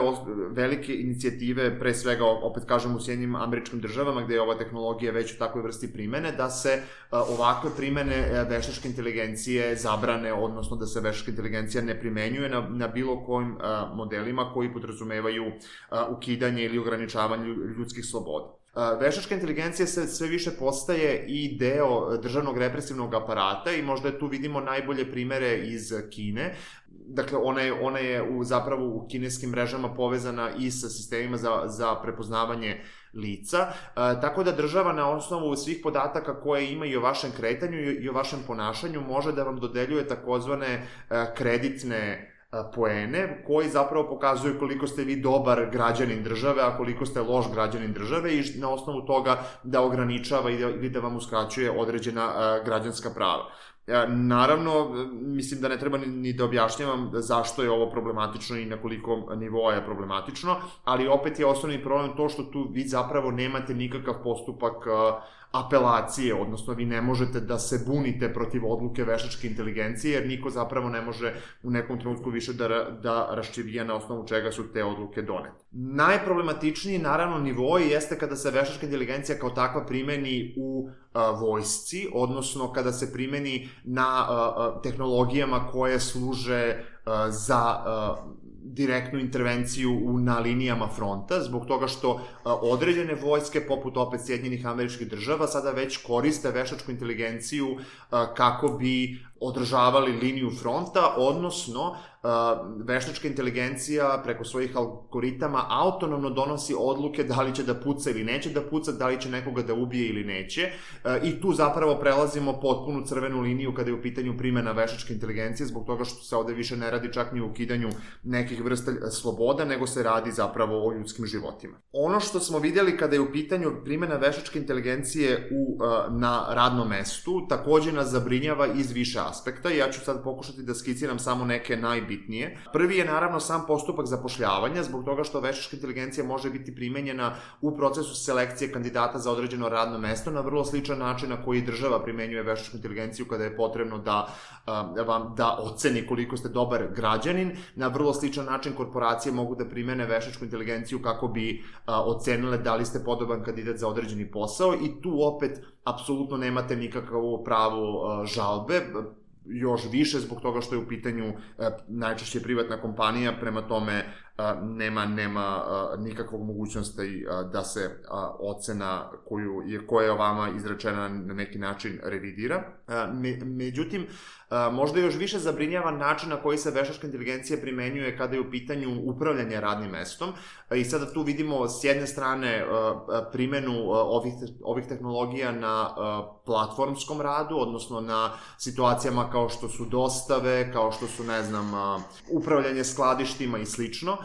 H: velike inicijative, pre svega, opet kažem, u Sjedinjenim Američkim Državama, gde je ova tehnologija već u takvoj vrsti primene, da se ovakve primene veštačke inteligencije zabrane, odnosno da se veštačka inteligencija ne primenjuje na, na bilo kojim modelima koji podrazumevaju ukidanje ili ograničavanje ljudskih sloboda. Veštačka inteligencija se sve više postaje i deo državnog represivnog aparata i možda tu vidimo najbolje primere iz Kine. Dakle, ona je, ona je u, zapravo u kineskim mrežama povezana i sa sistemima za, za prepoznavanje lica, e, tako da država na osnovu svih podataka koje ima i o vašem kretanju i o vašem ponašanju može da vam dodeljuje takozvane e, kreditne poene, koji zapravo pokazuju koliko ste vi dobar građanin države, a koliko ste loš građanin države i na osnovu toga da ograničava ili da vam uskraćuje određena građanska prava. Naravno, mislim da ne treba ni da objašnjavam zašto je ovo problematično i na koliko nivoa je problematično, ali opet je osnovni problem to što tu vi zapravo nemate nikakav postupak apelacije, odnosno vi ne možete da se bunite protiv odluke veštačke inteligencije, jer niko zapravo ne može u nekom trenutku više da, da raščivija na osnovu čega su te odluke donete. Najproblematičniji, naravno, nivoi jeste kada se veštačka inteligencija kao takva primeni u a, vojsci, odnosno kada se primeni na a, a, tehnologijama koje služe a, za a, direktnu intervenciju na linijama fronta, zbog toga što određene vojske, poput opet Sjedinjenih Američkih Država, sada već koriste veštačku inteligenciju kako bi održavali liniju fronta, odnosno veštačka inteligencija preko svojih algoritama autonomno donosi odluke da li će da puca ili neće da puca, da li će nekoga da ubije ili neće, i tu zapravo prelazimo potpunu crvenu liniju kada je u pitanju primjena veštačke inteligencije, zbog toga što se ovde više ne radi čak ni o ukidanju nekih vrsta sloboda, nego se radi zapravo o ljudskim životima. Ono što smo vidjeli kada je u pitanju primjena veštačke inteligencije u, na radnom mestu takođe nas zabrinjava iz više aspekta. aspekta i ja ću sad pokušati da skiciram samo neke najbitnije. Prvi je naravno sam postupak zapošljavanja, zbog toga što veštačka inteligencija može biti primenjena u procesu selekcije kandidata za određeno radno mesto na vrlo sličan način na koji država primenjuje veštačku inteligenciju kada je potrebno da vam da oceni koliko ste dobar građanin. Na vrlo sličan način korporacije mogu da primene veštačku inteligenciju kako bi ocenile da li ste podoban kandidat za određeni posao i tu opet apsolutno nemate nikakvu pravu žalbe, još više zbog toga što je u pitanju najčešće privatna kompanija, prema tome nema, nema nikakvog mogućnosti da se ocena koju je, koja je vama izrečena na neki način revidira. Međutim, možda još više zabrinjava način na koji se veštačka inteligencija primenjuje kada je u pitanju upravljanje radnim mestom i sada tu vidimo s jedne strane primenu ovih, ovih tehnologija na platformskom radu, odnosno na situacijama kao što su dostave, kao što su, ne znam, upravljanje skladištima i slično,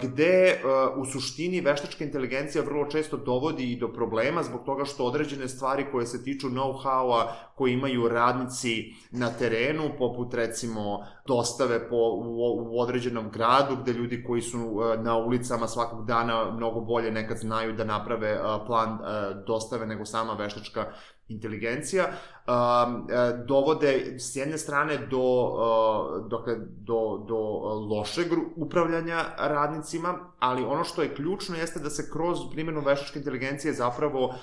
H: gde u suštini veštačka inteligencija vrlo često dovodi i do problema zbog toga što određene stvari koje se tiču know-howa koje imaju radnici na terenu, poput recimo dostave po, u, u određenom gradu, gde ljudi koji su na ulicama svakog dana mnogo bolje nekad znaju da naprave plan dostave nego sama veštačka inteligencija, dovode s jedne strane do, dakle, do, do lošeg upravljanja radnicima, ali ono što je ključno jeste da se kroz primjenu veštačke inteligencije zapravo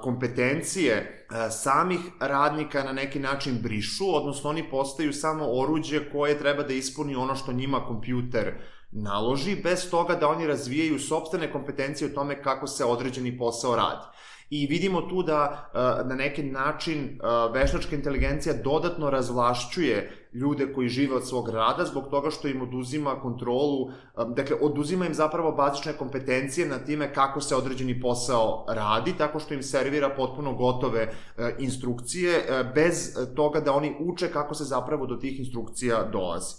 H: kompetencije samih radnika na neki način brišu, odnosno oni postaju samo oruđe koje treba da ispuni ono što njima kompjuter naloži, bez toga da oni razvijaju sopstvene kompetencije o tome kako se određeni posao radi. I vidimo tu da na neki način veštačka inteligencija dodatno razvlašćuje ljude koji žive od svog rada zbog toga što im oduzima kontrolu, dakle oduzima im zapravo bazične kompetencije na time kako se određeni posao radi, tako što im servira potpuno gotove instrukcije bez toga da oni uče kako se zapravo do tih instrukcija dolazi.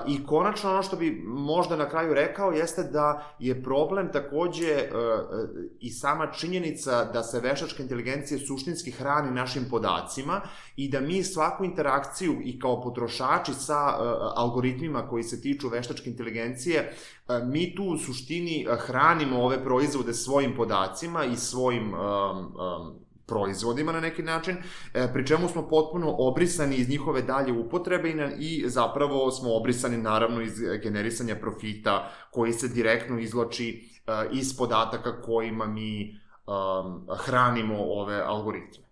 H: I konačno ono što bi možda na kraju rekao jeste da je problem takođe i sama činjenica da se veštačka inteligencija suštinski hrani našim podacima i da mi svaku interakciju i kao potrošači sa algoritmima koji se tiču veštačke inteligencije, mi tu u suštini hranimo ove proizvode svojim podacima i svojim proizvodima na neki način, pri čemu smo potpuno obrisani iz njihove dalje upotrebe i, na, i zapravo smo obrisani naravno iz generisanja profita koji se direktno izvlači uh, iz podataka kojima mi um, hranimo ove algoritme.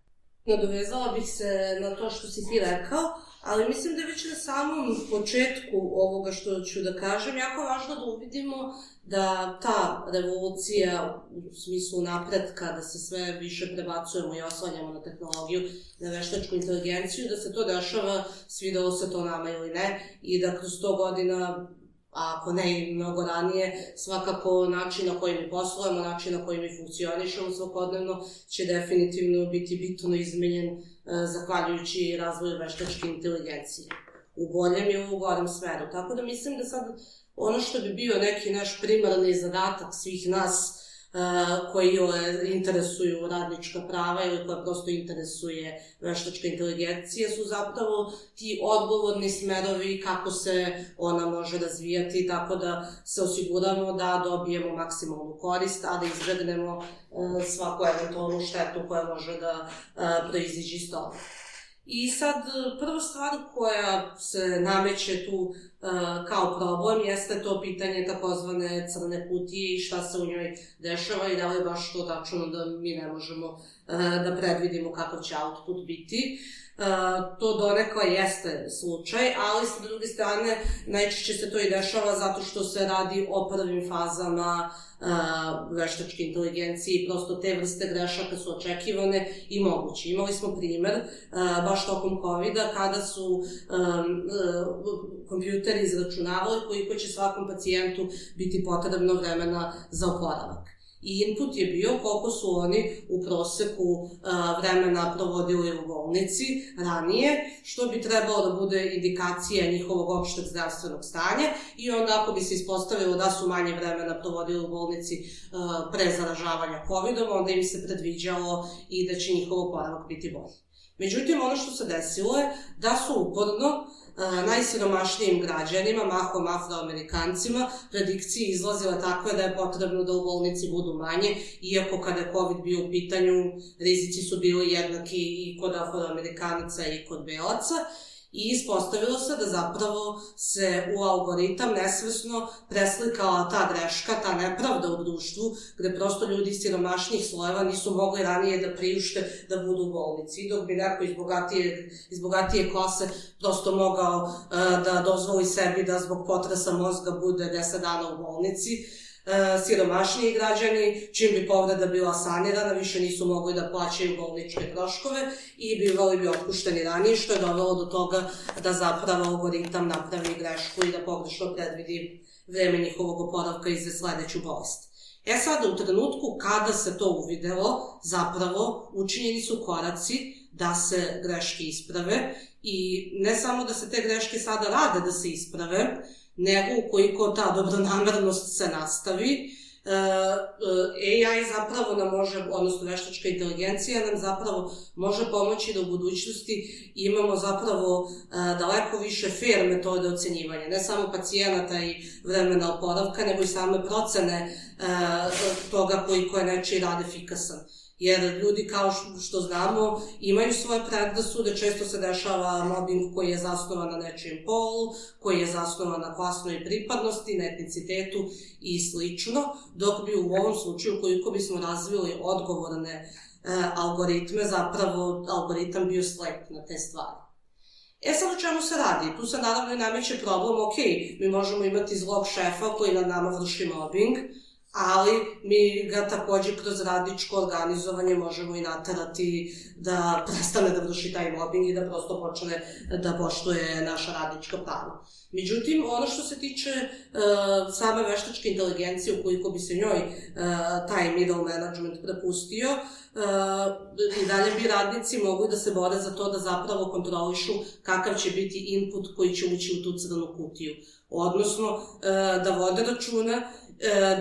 I: Nadovezala bih se na to što si ti rekao, ali mislim da već na samom početku ovoga što ću da kažem, jako važno da uvidimo da ta revolucija u smislu napretka, da se sve više prebacujemo i oslanjamo na tehnologiju, na veštačku inteligenciju, da se to dešava, svidelo se to nama ili ne, i da kroz sto godina, a ako ne i mnogo ranije, svakako način na koji mi poslujemo, način na koji mi funkcionišemo svakodnevno će definitivno biti bitno izmenjen eh, zahvaljujući razvoju veštačke inteligencije. U boljem i u gorem smeru. Tako da mislim da sad ono što bi bio neki naš primarni zadatak svih nas uh, koji interesuju radnička prava ili koja prosto interesuje veštačka inteligencija su zapravo ti odgovorni smerovi kako se ona može razvijati tako da se osiguramo da dobijemo maksimalnu korist, a da izbegnemo uh, svaku eventualnu štetu koja može da uh, proiziđe iz toga. I sad, prva stvar koja se nameće tu uh, kao problem jeste to pitanje takozvane crne kutije i šta se u njoj dešava i da li je baš to tačno da mi ne možemo uh, da predvidimo kako će output biti. Uh, to donekle jeste slučaj, ali sa druge strane najčešće se to i dešava zato što se radi o prvim fazama uh, veštačke inteligencije i prosto te vrste grešaka su očekivane i moguće. Imali smo primer uh, baš tokom kovida kada su um, uh, kompjuteri izračunavali koliko će svakom pacijentu biti potrebno vremena za oporavak. I input je bio koliko su oni u proseku uh, vremena provodili u bolnici ranije, što bi trebalo da bude indikacija njihovog opšteg zdravstvenog stanja i onda ako bi se ispostavilo da su manje vremena provodili u bolnici uh, pre zaražavanja kovidom, onda im se predviđalo i da će njihov oporavak biti bolji. Međutim, ono što se desilo je da su uporno najsiromašnijim građanima, mahom afroamerikancima, predikcije izlazile takve da je potrebno da u bolnici budu manje, iako kada je COVID bio u pitanju, rizici su bili jednaki i kod afroamerikanaca i kod belaca. I ispostavilo se da zapravo se u algoritam nesvesno preslikala ta greška, ta nepravda u društvu, gde prosto ljudi iz siromašnijih slojeva nisu mogli ranije da priušte da budu u bolnici. I dok bi neko iz bogatije, iz bogatije klase prosto mogao uh, da dozvoli sebi da zbog potresa mozga bude deset dana u bolnici, Uh, siromašniji građani, čim bi povreda bila sanirana, više nisu mogli da plaćaju bolničke troškove i bivali bi otpušteni ranije, što je dovelo do toga da zapravo algoritam napravi grešku i da pogrešno predvidi vreme njihovog oporavka i za sledeću bolest. E sad, u trenutku kada se to uvidelo, zapravo učinjeni su koraci da se greške isprave i ne samo da se te greške sada rade da se isprave, nego ukoliko ta dobronamernost se nastavi, A I zapravo nam može, odnosno veštačka inteligencija nam zapravo može pomoći da u budućnosti imamo zapravo daleko više fair metode ocenjivanja, ne samo pacijenata i vremena oporavka, nego i same procene toga koliko je nečiji rad efikasan. Jer ljudi, kao što znamo, imaju svoje predrasude, često se dešava mobbing koji je zasnovan na nečijem polu, koji je zasnovan na klasnoj pripadnosti, na etnicitetu i slično, dok bi u ovom slučaju, koliko bismo razvili odgovorne e, algoritme, zapravo algoritam bio slep na te stvari. E sad o čemu se radi? Tu se naravno nameće problem, ok, mi možemo imati zlog šefa koji nad nama vrši mobbing, ali mi ga takođe kroz radničko organizovanje možemo i naterati da prestane da vrši taj mobbing i da prosto počne da poštuje naša radnička prava. Međutim, ono što se tiče uh, same veštačke inteligencije, ukoliko bi se njoj uh, taj middle management prepustio, uh, i dalje bi radnici mogli da se bore za to da zapravo kontrolišu kakav će biti input koji će ući u tu crnu kutiju. Odnosno, uh, da vode računa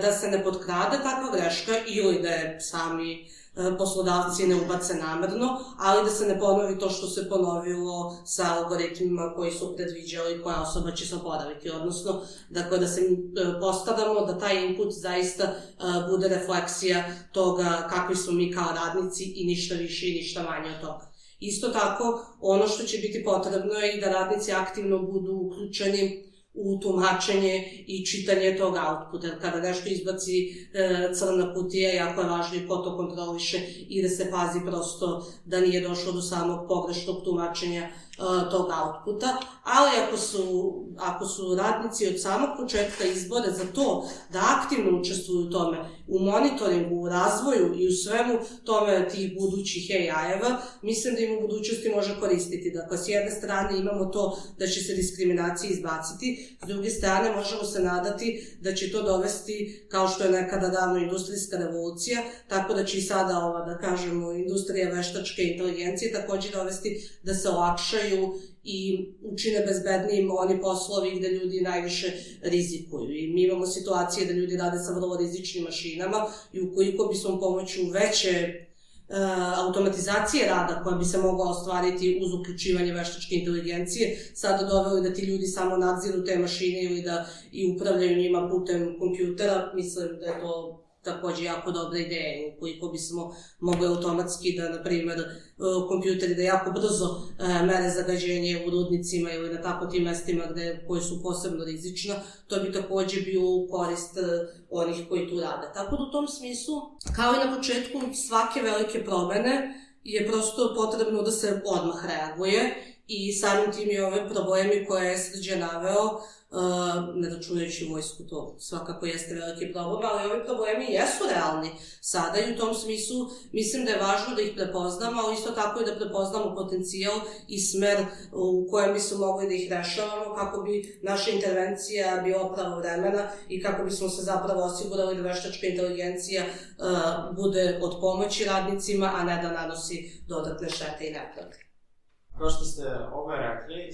I: da se ne potkrade takva greška ili da je sami poslodavci ne ubace namerno, ali da se ne ponovi to što se ponovilo sa algoritmima koji su predviđali koja osoba će se oporaviti. Odnosno, dakle, da se postaramo da taj input zaista bude refleksija toga kakvi smo mi kao radnici i ništa više i ništa manje od toga. Isto tako, ono što će biti potrebno je i da radnici aktivno budu uključeni u tumačenje i čitanje tog outputa. Kada nešto izbaci e, crna kutija, jako je važno i ko to kontroliše i da se pazi prosto da nije došlo do samog pogrešnog tumačenja e, tog outputa. Ali ako su, ako su radnici od samog početka izbore za to da aktivno učestvuju u tome, u monitoringu, u razvoju i u svemu tome tih budućih A I-eva, mislim da im u budućnosti može koristiti. Dakle, s jedne strane imamo to da će se diskriminacije izbaciti, s druge strane možemo se nadati da će to dovesti, kao što je nekada davno industrijska revolucija, tako da će i sada ova, da kažemo, industrija veštačke inteligencije takođe dovesti da se olakšaju i učine bezbednijim oni poslovi gde ljudi najviše rizikuju. I mi imamo situacije da ljudi rade sa vrlo rizičnim mašinama i ukoliko bismo pomoću veće uh, automatizacije rada koja bi se mogla ostvariti uz uključivanje veštačke inteligencije, sada doveli da ti ljudi samo nadziru te mašine ili da i upravljaju njima putem kompjutera, mislim da je to takođe jako dobra ideja. Ukoliko bismo mogli automatski da, na primer, kompjuteri da jako brzo mere zagađenje u rudnicima ili na tako tim mestima gde, koje su posebno rizična, to bi takođe bio u korist onih koji tu rade. Tako da u tom smislu, kao i na početku svake velike promene, je prosto potrebno da se odmah reaguje i samim tim i ove problemi koje je Srđan naveo, Uh, ne računajući vojsku, to svakako jeste veliki problem, ali ovi problemi jesu realni sada i u tom smislu mislim da je važno da ih prepoznamo, ali isto tako i da prepoznamo potencijal i smer u kojem bismo mogli da ih rešavamo kako bi naša intervencija bila pravovremena i kako bismo se zapravo osigurali da veštačka inteligencija uh, bude od pomoći radnicima, a ne da nanosi dodatne štete i nepravde.
J: Kao što ste oba rekli,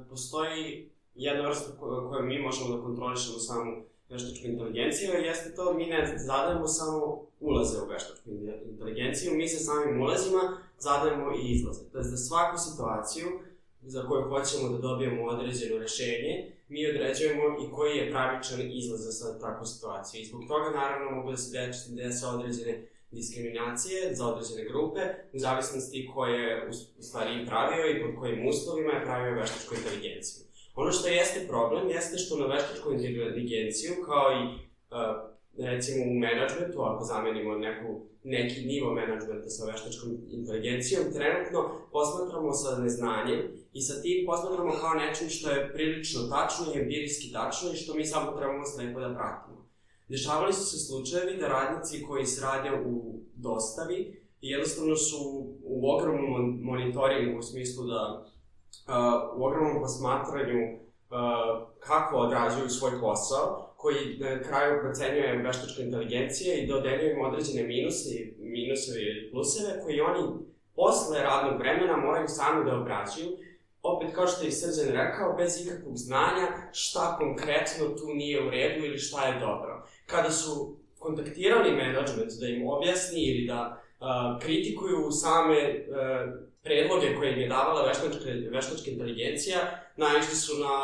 J: postoji jedna vrsta koju mi možemo da kontrolišemo samu veštačku inteligenciju, jeste to mi ne zadajemo samo ulaze u veštačku inteligenciju, mi se samim ulazima zadajemo i izlaze. To je za svaku situaciju za koju hoćemo da dobijemo određeno rešenje, mi određujemo i koji je pravičan izlaz za takvu situaciju. I zbog toga naravno mogu da se dese određene diskriminacije za određene grupe, u zavisnosti ko je u stvari pravio i pod kojim uslovima je pravio veštačku inteligenciju. Ono što jeste problem, jeste što na veštačku inteligenciju, kao i recimo u menadžmentu, ako zamenimo neku, neki nivo menadžmenta sa veštačkom inteligencijom, trenutno posmatramo sa neznanjem i sa tim posmatramo kao nečim što je prilično tačno i empirijski tačno i što mi samo trebamo slepo da pratimo. Dešavali su se slučajevi da radnici koji se rade u dostavi jednostavno su u ogromnom monitoringu u smislu da uh, u ogromnom posmatranju uh, kako odrađuju svoj posao, koji na kraju procenjuje veštačka inteligencija i dodeljuje im određene minuse, minuseve ili pluseve koji oni posle radnog vremena moraju sami da obrađuju. Opet, kao što je Srđan rekao, bez ikakvog znanja šta konkretno tu nije u redu ili šta je dobro. Kada su kontaktirali menadžment da im objasni ili da uh, kritikuju same uh, predloge koje im je davala veštačka, veštačka inteligencija, naišli su na,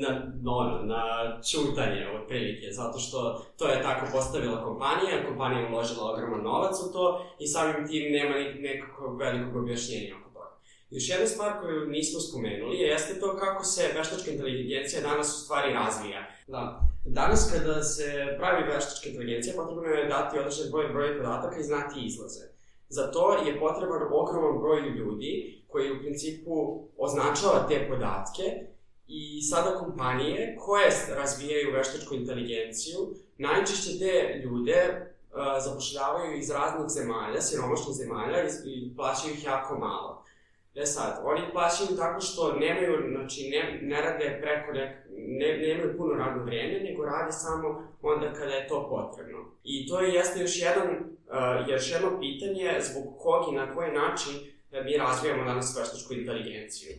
J: na, no, na ćutanje otprilike, zato što to je tako postavila kompanija, kompanija je uložila ogroman novac u to i samim tim nema nekakvog velikog objašnjenja oko toga. Još jedna stvar koju nismo spomenuli jeste to kako se veštačka inteligencija danas u stvari razvija. Da. Danas kada se pravi veštačka inteligencija, potrebno je dati određen broj, broj podataka i znati izlaze. Za to je potreban ogroman broj ljudi koji u principu označava te podatke i sada kompanije koje razvijaju veštačku inteligenciju najčešće te ljude uh, zapošljavaju iz raznih zemalja, siromašnih zemalja i, i plaćaju ih jako malo. E sad, oni plaćaju tako što nemaju, znači ne, ne rade preko nek, ne, nemaju puno radno vreme, nego rade samo onda kada je to potrebno. I to je jeste još jedan, uh, još jedno pitanje zbog kog i na koji način da mi razvijamo danas veštačku inteligenciju.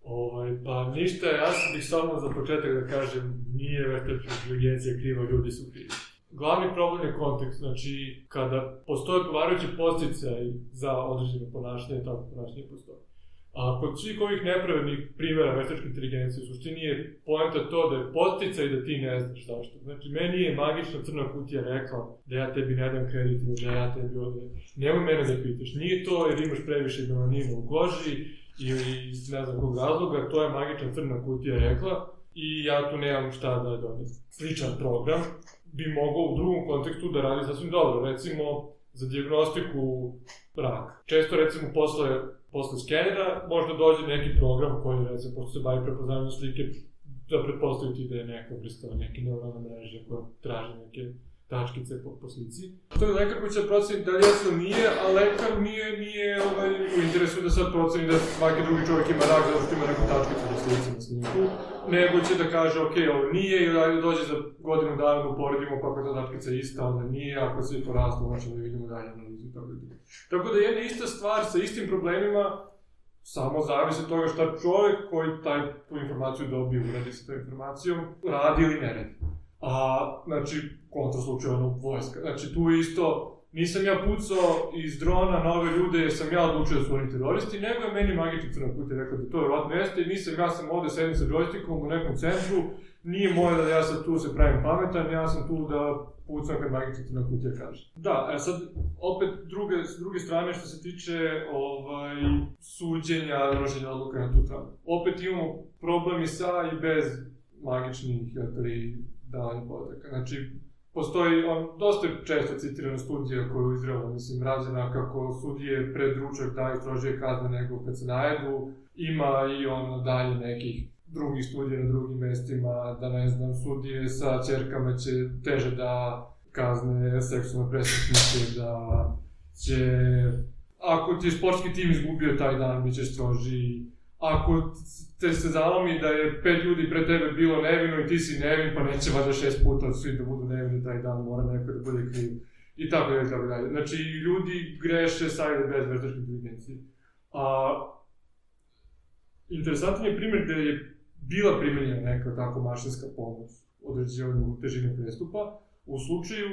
K: Ovaj, pa ništa, ja bih samo za početak da kažem, nije veštačka inteligencija kriva, ljudi su krivi. Glavni problem je kontekst, znači kada postoje odgovarajući podsticaj za određeno ponašanje, tako ponašanje postoje. A kod svih ovih nepravednih primjera veštačke inteligencije, u suštini je poenta to da je podsticaj da ti ne znaš zašto. Znači, meni je magična crna kutija rekla da ja tebi ne dam kredit ili da ja tebi ovdje. Nemoj mene da pitaš, nije to jer imaš previše melanina u koži ili iz ne znam kog razloga, to je magična crna kutija rekla i ja tu nemam šta da dobijem. Sličan program bi mogao u drugom kontekstu da radi sasvim dobro. Recimo, za dijagnostiku raka. Često, recimo, posle, posle skenera možda dođe neki program koji, recimo, pošto se bavi prepoznavanjem slike, da pretpostaviti da je neka vrsta neke neuronalne mreže koja traži neke tačkice po, po slici. To je lekar koji će proceni da li jasno nije, a lekar nije, nije ovaj, u interesu da sad proceni da svaki drugi čovjek ima rak zato što ima neku tačkicu po slici na snimku, nego će da kaže ok, ovo nije ili ajde dođe za godinu dana da uporedimo pa ako je ta tačkica ista, onda nije, ako se je poraslo, možemo da vidimo dalje analizu i tako da. Tako da jedna ista stvar sa istim problemima samo zavisi od toga šta čovjek koji taj, tu informaciju dobije, uradi sa tom informacijom, radi ili ne radi. A, znači, kontraslučajno vojska. Znači, tu isto, nisam ja pucao iz drona na ove ljude jer sam ja odlučio da su oni teroristi, nego je meni magični crna kutija rekao da to je vratno jeste i nisam, ja sam ovde sedim sa džojstikom u nekom centru, nije moje da ja sad tu se pravim pametan, ja sam tu da pucam kad magični crna kutija kaže. Da, sad, opet, druge, s druge strane što se tiče ovaj, suđenja, donošenja odluka na tu stranu. Opet imamo problem i sa i bez magičnih, ili davanje podataka. Znači, postoji, on, dosta često citirana studija koju je Izraela, mislim, rađena kako sudije pred ručak daju strožije kazne nego kad se najedu. Ima i ono dalje nekih drugih studija na drugim mestima, da ne znam, sudije sa ćerkama će teže da kazne seksualne presretnike, da će, ako ti je sportski tim izgubio taj dan, bit će strožiji. Ako te se zalomi da je pet ljudi pre tebe bilo nevino i ti si nevin, pa neće valjda šest puta svi da budu nevini taj dan, mora neko da bude kriv. I tako dalje, tako dalje. Znači, ljudi greše sa ili bez veštačke inteligencije. A, interesantan je primjer gde je bila primenjena neka tako mašinska pomoć određivanju težine prestupa. U slučaju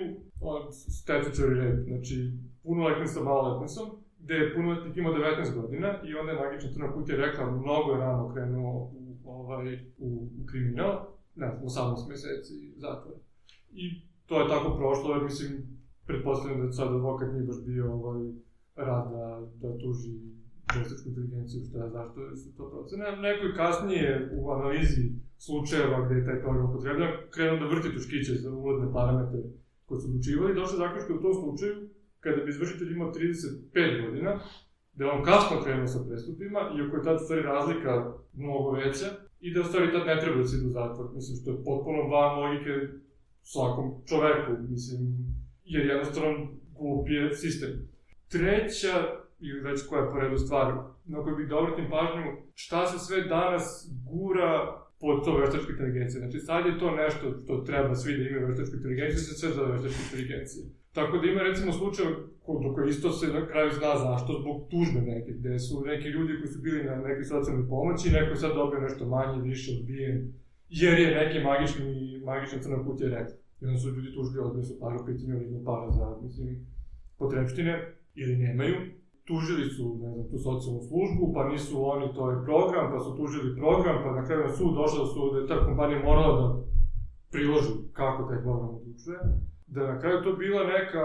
K: statutory rape, znači punoletnim sa maloletnicom, gde je punoletnik imao devetnaest godina i onda je magična crna kutija rekla mnogo je rano krenuo u, ovaj, u, u kriminal, ne znam, osamnaest meseci zatvora. I to je tako prošlo, jer mislim, pretpostavljam da sad advokat nije baš bio ovaj, rad da, da tuži veštačku inteligenciju, šta je, zašto su to procene. Neko je kasnije u analizi slučajeva gde je taj program upotrebljan, krenuo da vrti tuškiće za ulazne parametre koji su odlučivali i došlo zaključka u tom slučaju, kada bi izvršitelj imao trideset pet godina, da je on kasno krenuo sa prestupima, iako je tad u stvari razlika mnogo veća, i da u stvari tad ne treba da se ide u zatvor. Mislim, što je potpuno van logike svakom čoveku, mislim, jer jednostavno glup je sistem. Treća, ili već koja je po redu stvar, na kojoj bih da obratim pažnju, šta se sve danas gura pod to veštačka inteligencija. Znači, sad je to nešto što treba svi da imaju veštačku inteligenciju, se sve zove veštačka inteligencija. Tako da ima recimo slučaj do koje isto se na kraju zna zašto, zbog tužbe neke, gde su neki ljudi koji su bili na nekoj socijalnoj pomoći, neko je sad dobio nešto manje, više odbijen, jer je neki magični, magična crna kutija rekla. I onda su ljudi tužili, odbili su para u pitanju, ili ima para za, mislim, potrebštine, ili nemaju. Tužili su, ne znam, tu socijalnu službu, pa nisu oni, to je program, pa su tužili program, pa na kraju na sud došla su da je ta kompanija morala da priloži kako taj program odlučuje. Da na kraju to bila neka,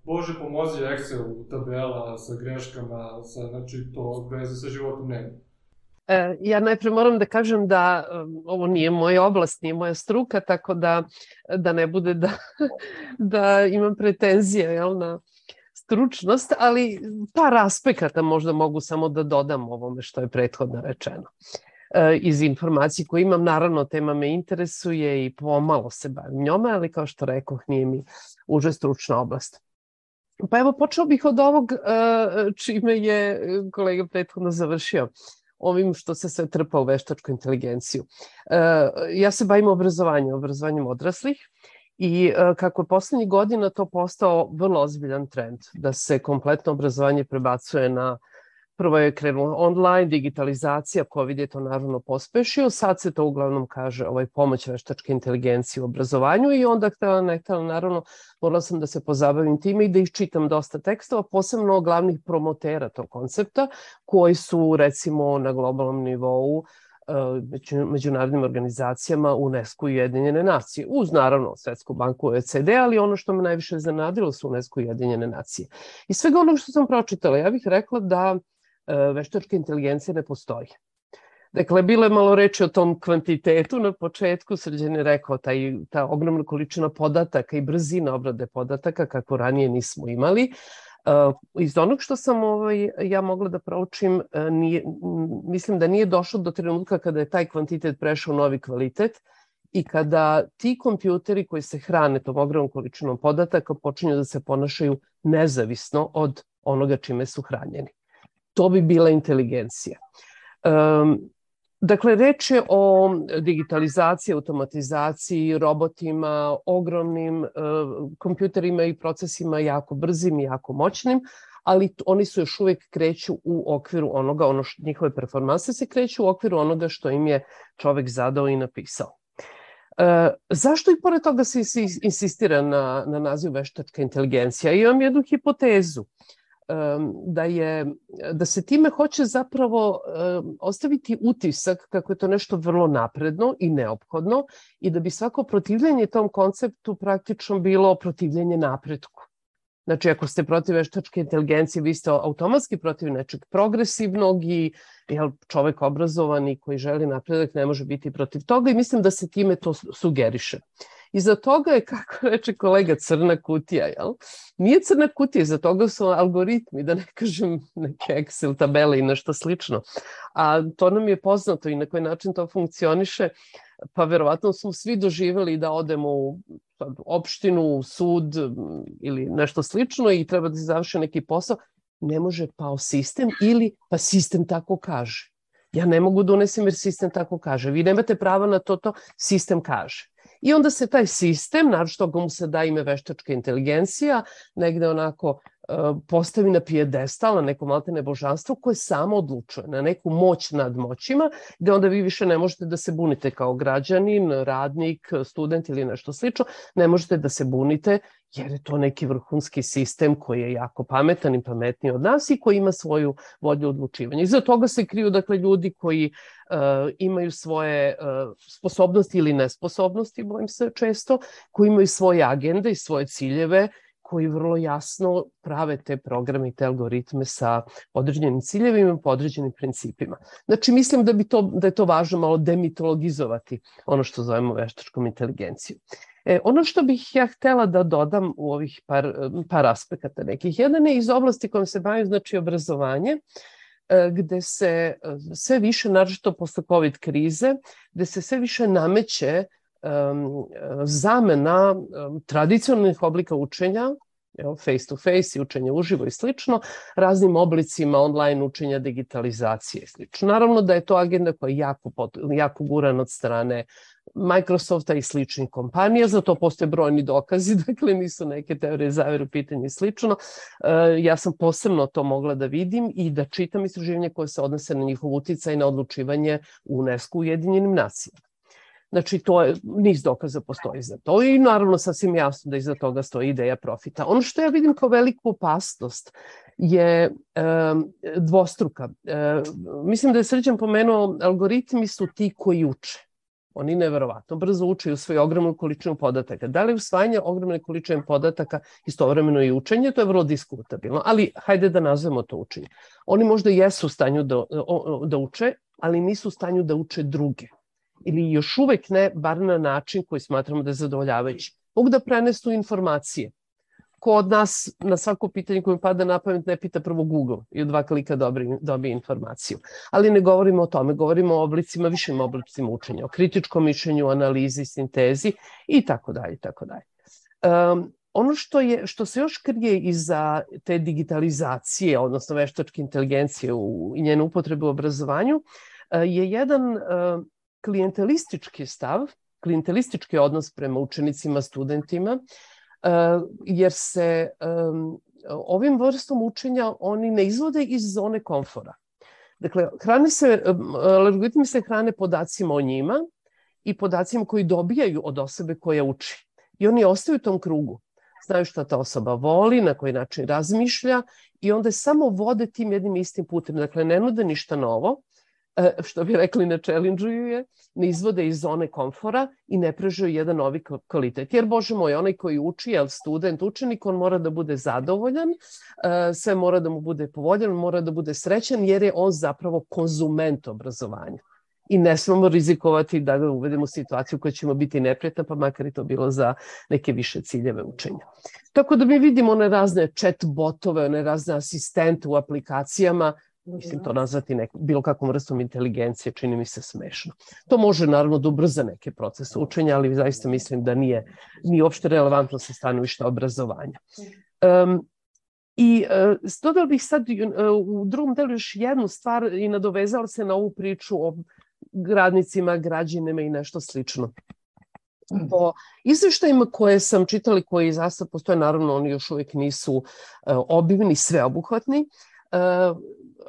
K: bože pomozi Excel tabela sa greškama, sa, znači to veze sa životom nema.
L: E, ja najpre moram da kažem da um, ovo nije moja oblast, nije moja struka, tako da, da ne bude da, da imam pretenzije, jel, na stručnost, ali par aspekata možda mogu samo da dodam ovome što je prethodno rečeno. E, iz informacije koje imam, naravno tema me interesuje i pomalo se bavim njome, ali kao što rekoh, nije mi uže stručna oblast. Pa evo, počeo bih od ovog e, čime je kolega prethodno završio, ovim što se sve trpa u veštačku inteligenciju. E, ja se bavim obrazovanjem, obrazovanjem odraslih, i kako je poslednjih godina to postao vrlo ozbiljan trend, da se kompletno obrazovanje prebacuje na, prvo je krenulo online, digitalizacija, COVID je to naravno pospešio, sad se to uglavnom kaže ovaj, pomoć veštačke inteligencije u obrazovanju i onda htela ne htela, naravno morala sam da se pozabavim time i da iščitam dosta tekstova, posebno glavnih promotera tog koncepta, koji su recimo na globalnom nivou međunarodnim organizacijama UNESCO i Ujedinjene nacije, uz naravno Svetsku banku O E C D, ali ono što me najviše zanadilo su UNESCO i Ujedinjene nacije. I svega onog što sam pročitala, ja bih rekla da veštačka inteligencija ne postoji. Dakle, bilo je malo reči o tom kvantitetu na početku, Srđan je rekao taj, ta ogromna količina podataka i brzina obrade podataka kako ranije nismo imali. Uh, iz onog što sam ovaj, ja mogla da proučim, uh, nije, mislim da nije došlo do trenutka kada je taj kvantitet prešao novi kvalitet i kada ti kompjuteri koji se hrane tom ogromnom količinom podataka počinju da se ponašaju nezavisno od onoga čime su hranjeni. To bi bila inteligencija. Um, Dakle, reč je o digitalizaciji, automatizaciji, robotima, ogromnim uh, kompjuterima i procesima jako brzim i jako moćnim, ali oni su još uvijek kreću u okviru onoga, ono što, njihove performanse se kreću u okviru onoga što im je čovek zadao i napisao. Uh, zašto i pored toga se insistira na, na naziv veštačka inteligencija? Imam jednu hipotezu. Da, je, da se time hoće zapravo um, ostaviti utisak kako je to nešto vrlo napredno i neophodno i da bi svako protivljenje tom konceptu praktično bilo protivljenje napretku. Znači, ako ste protiv veštačke inteligencije, vi ste automatski protiv nečeg progresivnog i jel, čovek obrazovan i koji želi napredak ne može biti protiv toga i mislim da se time to sugeriše. Iza toga je, kako reče kolega, crna kutija, jel? Nije crna kutija, iza toga su algoritmi, da ne kažem neke Excel tabele i nešto slično. A to nam je poznato i na koji način to funkcioniše, pa verovatno smo svi doživjeli da odemo u opštinu, u sud ili nešto slično i treba da se završi neki posao. Ne može pao sistem ili pa sistem tako kaže. Ja ne mogu da unesem jer sistem tako kaže. Vi nemate prava na to, to sistem kaže. I onda se taj sistem, naravno što mu se da ime veštačka inteligencija, negde onako postavi na pijedestal, na neko maltene božanstvo koje samo odlučuje, na neku moć nad moćima, gde onda vi više ne možete da se bunite kao građanin, radnik, student ili nešto slično, ne možete da se bunite jer je to neki vrhunski sistem koji je jako pametan i pametniji od nas i koji ima svoju volju odlučivanja. Iza toga se kriju, dakle, ljudi koji uh, imaju svoje uh, sposobnosti ili nesposobnosti, bojim se često, koji imaju svoje agende i svoje ciljeve, koji vrlo jasno prave te programe i te algoritme sa određenim ciljevima, po određenim principima. Znači, mislim da, bi to, da je to važno malo demitologizovati ono što zovemo veštačkom inteligencijom. E, ono što bih ja htela da dodam u ovih par, par aspekata nekih. Jedan je iz oblasti kojom se bavim, znači obrazovanje, gde se sve više, naročito posle COVID krize, gde se sve više nameće um, zamena um, tradicionalnih oblika učenja, face to face i učenje uživo i slično, raznim oblicima online učenja, digitalizacije i slično. Naravno da je to agenda koja je jako, jako gurana od strane Microsofta i sličnih kompanija, za to postoje brojni dokazi, dakle nisu neke teorije zavere u pitanju i slično. Ja sam posebno to mogla da vidim i da čitam istraživanja koje se odnose na njihov uticaj na odlučivanje u UNESCO Ujedinjenim nacijama. Znači, to je, niz dokaza postoji za to i naravno sasvim jasno da iza toga stoji ideja profita. Ono što ja vidim kao veliku opasnost je e, dvostruka. E, mislim da je Srđan pomenuo, algoritmi su ti koji uče. Oni neverovatno brzo uče i usvoje ogromnu količinu podataka. Da li je usvajanje ogromne količine podataka istovremeno i učenje? To je vrlo diskutabilno, ali hajde da nazvemo to učenje. Oni možda jesu u stanju da, da uče, ali nisu u stanju da uče druge. Ili još uvek ne, bar na način koji smatramo da je zadovoljavajući. Mogu da prenesu informacije. Ko od nas na svako pitanje koje mi pada na pamet ne pita prvo Google i u dva klika dobije, dobije informaciju. Ali ne govorimo o tome, govorimo o oblicima, višim oblicima učenja, o kritičkom mišljenju, analizi, sintezi i tako dalje, tako dalje. Um, ono što, je, što se još krije iza te digitalizacije, odnosno veštačke inteligencije u, i njene upotrebe u obrazovanju, je jedan uh, klijentelistički stav, klijentelistički odnos prema učenicima, studentima, jer se um, ovim vrstom učenja oni ne izvode iz zone komfora. Dakle, hrane se, algoritmi se hrane podacima o njima i podacima koji dobijaju od osobe koja uči. I oni ostaju u tom krugu. Znaju šta ta osoba voli, na koji način razmišlja i onda samo vode tim jednim istim putem. Dakle, ne nude ništa novo, što bi rekli ne challenge-uju je, ne izvode iz zone komfora i ne prežuju jedan novi kvalitet. Jer, Bože moj, onaj koji uči, jel student, učenik, on mora da bude zadovoljan, sve mora da mu bude povoljan, mora da bude srećan, jer je on zapravo konzument obrazovanja. I ne smemo rizikovati da ga uvedemo u situaciju koja ćemo biti neprijatna, pa makar i to bilo za neke više ciljeve učenja. Tako da mi vidimo one razne chat botove, one razne asistente u aplikacijama, mislim to nazvati neku, bilo kakvom vrstom inteligencije, čini mi se smešno. To može naravno da ubrza neke procese učenja, ali zaista mislim da nije, nije uopšte relevantno sa stanovišta obrazovanja. Um, I uh, dodala bih sad uh, u drugom delu još jednu stvar i nadovezala se na ovu priču o radnicima, građanima i nešto slično. Po izveštajima koje sam čitala, koji zaista postoje, naravno oni još uvijek nisu uh, obimni, sveobuhvatni, uh,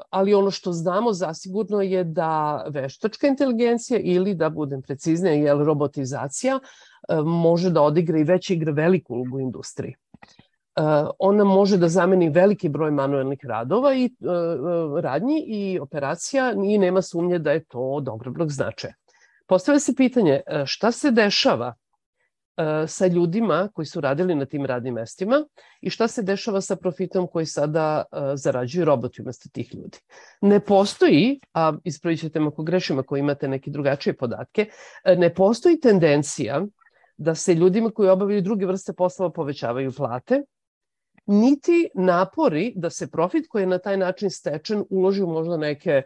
L: ali ono što znamo zasigurno je da veštačka inteligencija ili, da budem preciznija, jel, robotizacija može da odigra i već igra veliku ulogu u industriji. Ona može da zameni veliki broj manuelnih radova i radnji i operacija i nema sumnje da je to od ogromnog značaja. Postavlja se pitanje šta se dešava sa ljudima koji su radili na tim radnim mestima i šta se dešava sa profitom koji sada zarađuju roboti umesto tih ljudi. Ne postoji, a ispravit ćete me ako grešim ako imate neke drugačije podatke, ne postoji tendencija da se ljudima koji obavljaju druge vrste poslova povećavaju plate, niti napori da se profit koji je na taj način stečen uloži u možda neke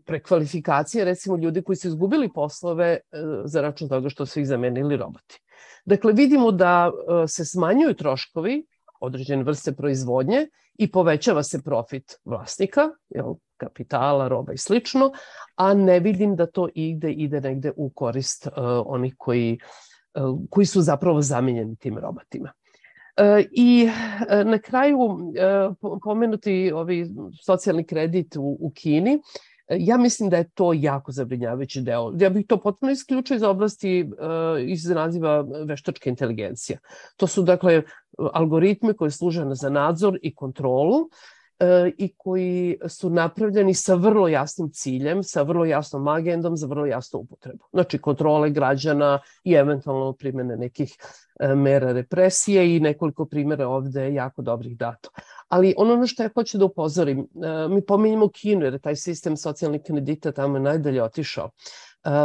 L: prekvalifikacije, recimo ljudi koji su izgubili poslove za račun toga što su ih zamenili roboti. Dakle, vidimo da se smanjuju troškovi određene vrste proizvodnje i povećava se profit vlasnika, jel, kapitala, roba i slično, a ne vidim da to ide, ide negde u korist uh, onih koji, uh, koji su zapravo zamenjeni tim robotima. I na kraju pomenuti ovi socijalni kredit u, u Kini, ja mislim da je to jako zabrinjavajući deo. Ja bih to potpuno isključio iz oblasti, iz naziva veštačka inteligencija. To su dakle algoritmi koji služe za nadzor i kontrolu i koji su napravljeni sa vrlo jasnim ciljem, sa vrlo jasnom agendom za vrlo jasnu upotrebu. Znači kontrole građana i eventualno primjene nekih mera represije i nekoliko primjera ovde jako dobrih dato. Ali ono na što ja hoću da upozorim, mi pominjemo Kinu jer je taj sistem socijalnih kredita tamo je najdalje otišao.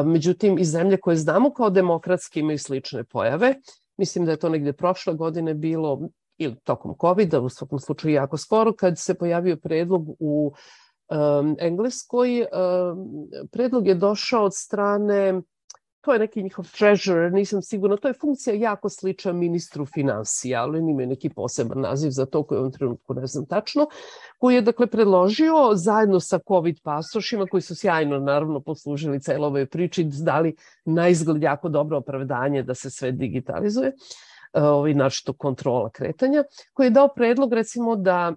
L: Međutim, i zemlje koje znamo kao demokratske imaju slične pojave. Mislim da je to negde prošle godine bilo ili tokom kovida, u svakom slučaju jako skoro, kad se pojavio predlog u um, Engleskoj. Um, predlog je došao od strane, to je neki njihov treasurer, nisam sigurna, to je funkcija jako slična ministru finansija, ali imaju neki poseban naziv za to koji u ovom trenutku ne znam tačno, koji je dakle predložio zajedno sa COVID pasošima koji su sjajno naravno poslužili celoj ovoj priči, dali na izgled jako dobro opravdanje da se sve digitalizuje, ovaj našto kontrola kretanja, koji je dao predlog recimo da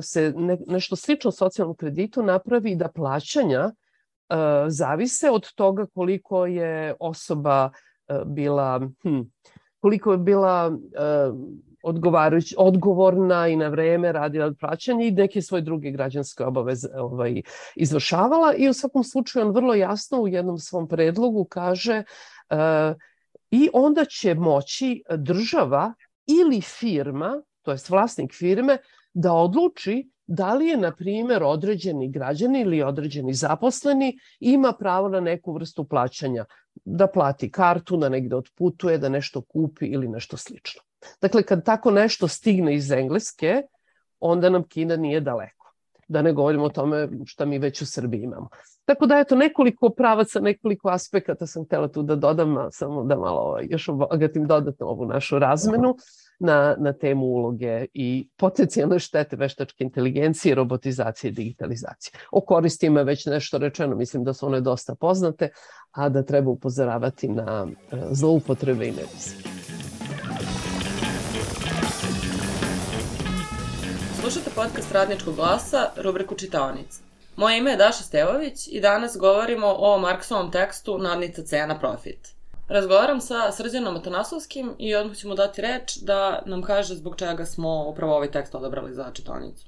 L: se ne, nešto slično socijalnom kreditu napravi da plaćanja uh, zavise od toga koliko je osoba uh, bila hm, koliko je bila uh, odgovarajući, odgovorna i na vreme radila plaćanje i neke svoje druge građanske obaveze ovaj, izvršavala i u svakom slučaju on vrlo jasno u jednom svom predlogu kaže uh, i onda će moći država ili firma, to jest vlasnik firme, da odluči da li je, na primjer, određeni građani ili određeni zaposleni ima pravo na neku vrstu plaćanja, da plati kartu, da negde otputuje, da nešto kupi ili nešto slično. Dakle, kad tako nešto stigne iz Engleske, onda nam Kina nije daleko. Da ne govorimo o tome šta mi već u Srbiji imamo. Tako da, eto, nekoliko pravaca, nekoliko aspekata sam htjela tu da dodam, samo da malo ovaj, još obogatim dodatno ovu našu razmenu na, na temu uloge i potencijalne štete veštačke inteligencije, robotizacije i digitalizacije. O koristima je već nešto rečeno, mislim da su one dosta poznate, a da treba upozoravati na zloupotrebe i nevize.
M: Slušate podcast Radničkog glasa, rubriku Čitaonica. Moje ime je Daša Stevović i danas govorimo o Marksovom tekstu Nadnica cena profit. Razgovaram sa Srđanom Atanasovskim i odmah ću mu dati reč da nam kaže zbog čega smo upravo ovaj tekst odabrali za čitaonicu.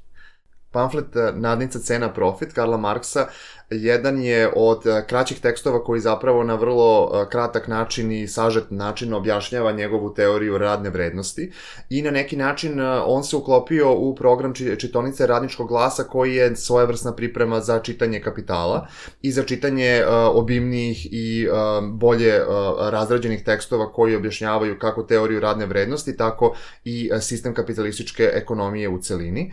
C: Pamflet Nadnica cena profit Karla Marksa jedan je od kraćih tekstova koji zapravo na vrlo kratak način i sažet način objašnjava njegovu teoriju radne vrednosti i na neki način on se uklopio u program čitaonice Radničkog glasa koji je svojevrsna priprema za čitanje Kapitala i za čitanje obimnijih i bolje razrađenih tekstova koji objašnjavaju kako teoriju radne vrednosti, tako i sistem kapitalističke ekonomije u celini.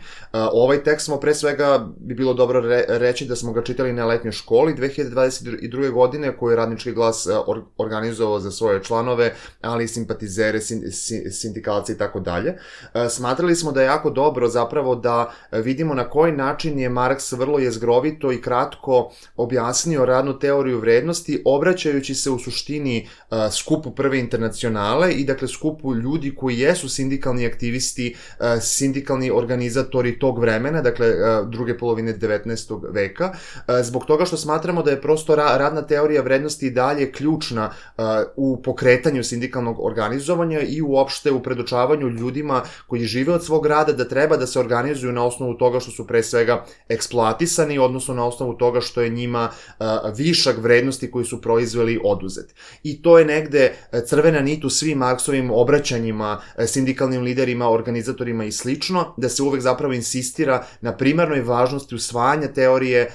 C: Ovaj tekst smo pre svega bi bilo dobro reći da smo ga čitali na letnjoj školi dve hiljade dvadeset druge. godine koju je Radnički glas organizovao za svoje članove, ali i simpatizere, sindikalce i tako dalje. Smatrali smo da je jako dobro zapravo da vidimo na koji način je Marks vrlo jezgrovito i kratko objasnio radnu teoriju vrednosti, obraćajući se u suštini skupu Prve internacionale i dakle skupu ljudi koji jesu sindikalni aktivisti, sindikalni organizatori tog vremena, dakle druge polovine devetnaestog veka, zbog toga što smatramo da je prosto radna teorija vrednosti i dalje ključna u pokretanju sindikalnog organizovanja i uopšte u predočavanju ljudima koji žive od svog rada da treba da se organizuju na osnovu toga što su pre svega eksploatisani, odnosno na osnovu toga što je njima višak vrednosti koji su proizveli oduzet. I to je negde crvena nit u svim Marksovim obraćanjima sindikalnim liderima, organizatorima i slično, da se uvek zapravo insistira na primarnoj važnosti usvajanja teorije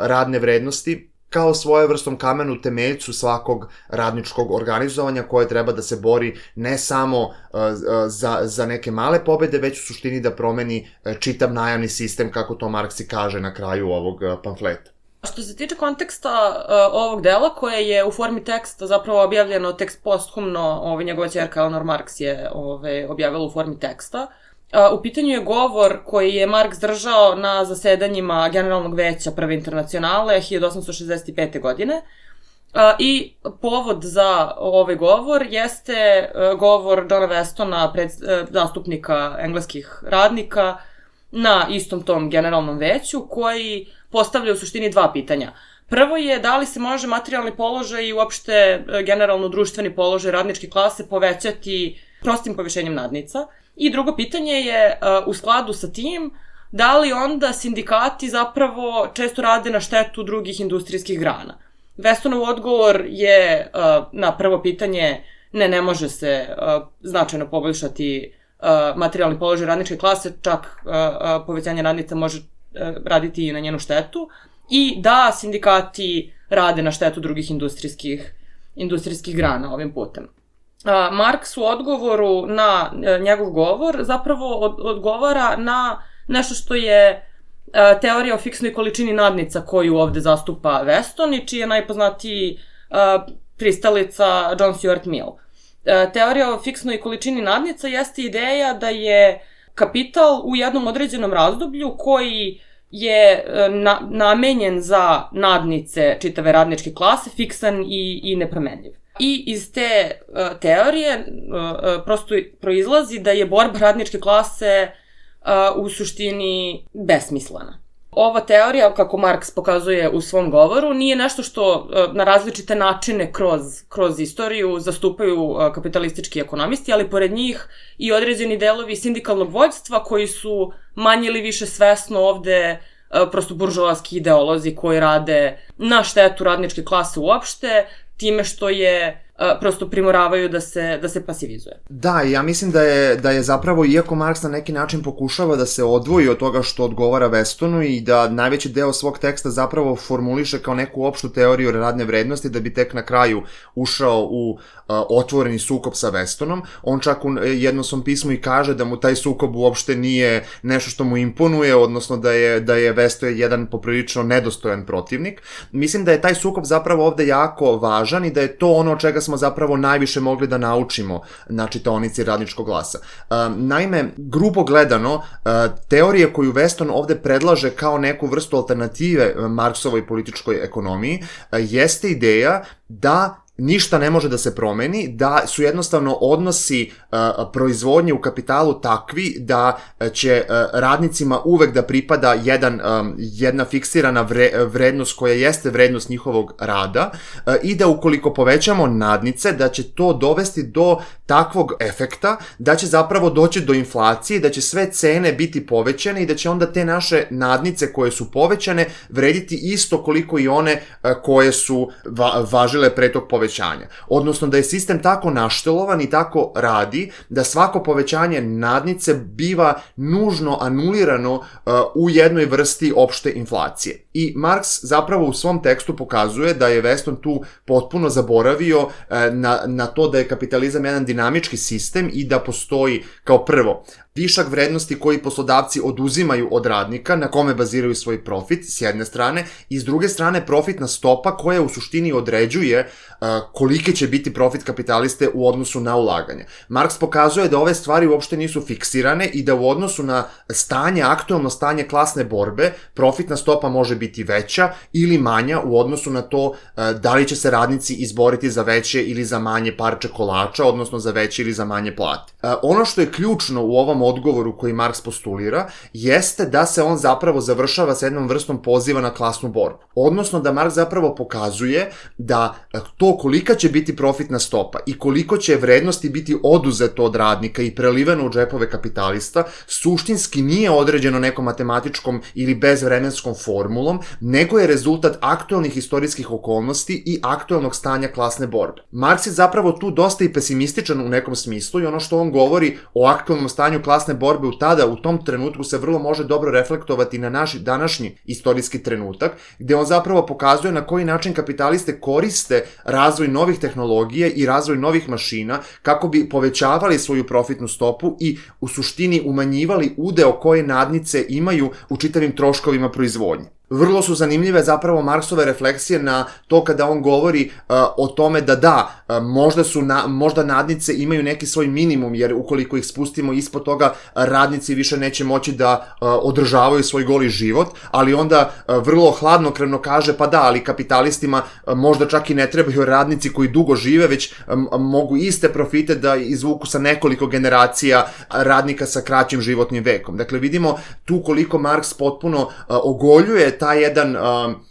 C: radne vrednosti kao svojevrsnom kamenu temeljcu svakog radničkog organizovanja koje treba da se bori ne samo za, za neke male pobede, već u suštini da promeni čitav najamni sistem, kako to Marks i kaže na kraju ovog pamfleta.
M: Što se tiče konteksta uh, ovog dela, koje je u formi teksta zapravo objavljeno tekst posthumno, ovaj, njegova ćerka Eleanor Marks je ovaj, objavila u formi teksta. Uh, u pitanju je govor koji je Marks držao na zasedanjima Generalnog veća Prve internacionale hiljadu osamsto šezdeset pete. godine I povod za ovaj govor jeste govor Johna Westona, pred, zastupnika engleskih radnika, na istom tom generalnom veću, koji postavlja u suštini dva pitanja. Prvo je da li se može materijalni položaj i uopšte generalno društveni položaj radničke klase povećati prostim povišenjem nadnica. I drugo pitanje je u skladu sa tim da li onda sindikati zapravo često rade na štetu drugih industrijskih grana. Westonov odgovor je na prvo pitanje ne, ne može se značajno poboljšati materijalni položaj radničke klase, čak povećanje radnica može raditi i na njenu štetu, i da sindikati rade na štetu drugih industrijskih, industrijskih grana ovim putem. Marks u odgovoru na njegov govor zapravo odgovara na nešto što je teorija o fiksnoj količini nadnica koju ovde zastupa Weston i čiji je najpoznatiji pristalica John Stuart Mill. Teorija o fiksnoj količini nadnica jeste ideja da je kapital u jednom određenom razdoblju koji je na, namenjen za nadnice čitave radničke klase, fiksan i, i nepromenljiv. I iz te uh, teorije uh, prosto proizlazi da je borba radničke klase uh, u suštini besmislena. Ova teorija, kako Marks pokazuje u svom govoru, nije nešto što uh, na različite načine kroz, kroz istoriju zastupaju uh, kapitalistički ekonomisti, ali pored njih i određeni delovi sindikalnog vođstva koji su manje ili više svesno ovde uh, prosto buržoaski ideolozi koji rade na štetu radničke klase uopšte, time što je uh, prosto primoravaju da se, da se pasivizuje.
H: Da, ja mislim da je, da je zapravo, iako Marks na neki način pokušava da se odvoji od toga što odgovara Westonu i da najveći deo svog teksta zapravo formuliše kao neku opštu teoriju radne vrednosti, da bi tek na kraju ušao u uh, otvoreni sukob sa Westonom, on čak u jednom svom pismu i kaže da mu taj sukob uopšte nije nešto što mu imponuje, odnosno da je, da je Weston jedan poprilično nedostojan protivnik. Mislim da je taj sukob zapravo ovde jako važan i da je to ono od čega smo zapravo najviše mogli da naučimo na čitaonici Radničkog glasa. Naime, grubo gledano, teorija koju Weston ovde predlaže kao neku vrstu alternative Marksovoj političkoj ekonomiji jeste ideja da ništa ne može da se promeni, da su jednostavno odnosi uh, proizvodnje u kapitalu takvi da će uh, radnicima uvek da pripada jedan, um, jedna fiksirana vre, vrednost koja jeste vrednost njihovog rada uh, i da ukoliko povećamo nadnice, da će to dovesti do takvog efekta, da će zapravo doći do inflacije, da će sve cene biti povećane i da će onda te naše nadnice koje su povećane vrediti isto koliko i one uh, koje su va, važile pre tog povećanja. Odnosno da je sistem tako naštelovan i tako radi da svako povećanje nadnice biva nužno anulirano uh, u jednoj vrsti opšte inflacije. I Marks zapravo u svom tekstu pokazuje da je Weston tu potpuno zaboravio uh, na, na to da je kapitalizam jedan dinamički sistem i da postoji kao prvo višak vrednosti koji poslodavci oduzimaju od radnika na kome baziraju svoj profit s jedne strane i s druge strane profitna stopa koja u suštini određuje uh, kolike će biti profit kapitaliste u odnosu na ulaganje. Marks pokazuje da ove stvari uopšte nisu fiksirane i da u odnosu na stanje, aktuelno stanje klasne borbe, profitna stopa može biti veća ili manja u odnosu na to uh, da li će se radnici izboriti za veće ili za manje parče kolača, odnosno za veće ili za manje plate. Uh, ono što je ključno u ovom odgovoru koji Marks postulira, jeste da se on zapravo završava sa jednom vrstom poziva na klasnu borbu. Odnosno da Marks zapravo pokazuje da to kolika će biti profitna stopa i koliko će vrednosti biti oduzeto od radnika i preliveno u džepove kapitalista, suštinski nije određeno nekom matematičkom ili bezvremenskom formulom, nego je rezultat aktuelnih istorijskih okolnosti i aktuelnog stanja klasne borbe. Marks je zapravo tu dosta i pesimističan u nekom smislu i ono što on govori o aktuelnom stanju klasne borbe u tada, u tom trenutku se vrlo može dobro reflektovati na naš današnji istorijski trenutak, gde on zapravo pokazuje na koji način kapitaliste koriste razvoj novih tehnologija i razvoj novih mašina kako bi povećavali svoju profitnu stopu i u suštini umanjivali udeo koje nadnice imaju u čitavim troškovima proizvodnje. Vrlo su zanimljive zapravo Marksove refleksije na to kada on govori uh, o tome da da, uh, možda su na, možda nadnice imaju neki svoj minimum, jer ukoliko ih spustimo ispod toga, radnici više neće moći da uh, održavaju svoj goli život, ali onda uh, vrlo hladnokrevno kaže pa da, ali kapitalistima uh, možda čak i ne trebaju radnici koji dugo žive, već um, mogu iste profite da izvuku sa nekoliko generacija radnika sa kraćim životnim vekom. Dakle, vidimo tu koliko Marks potpuno uh, ogoljuje taj jedan uh,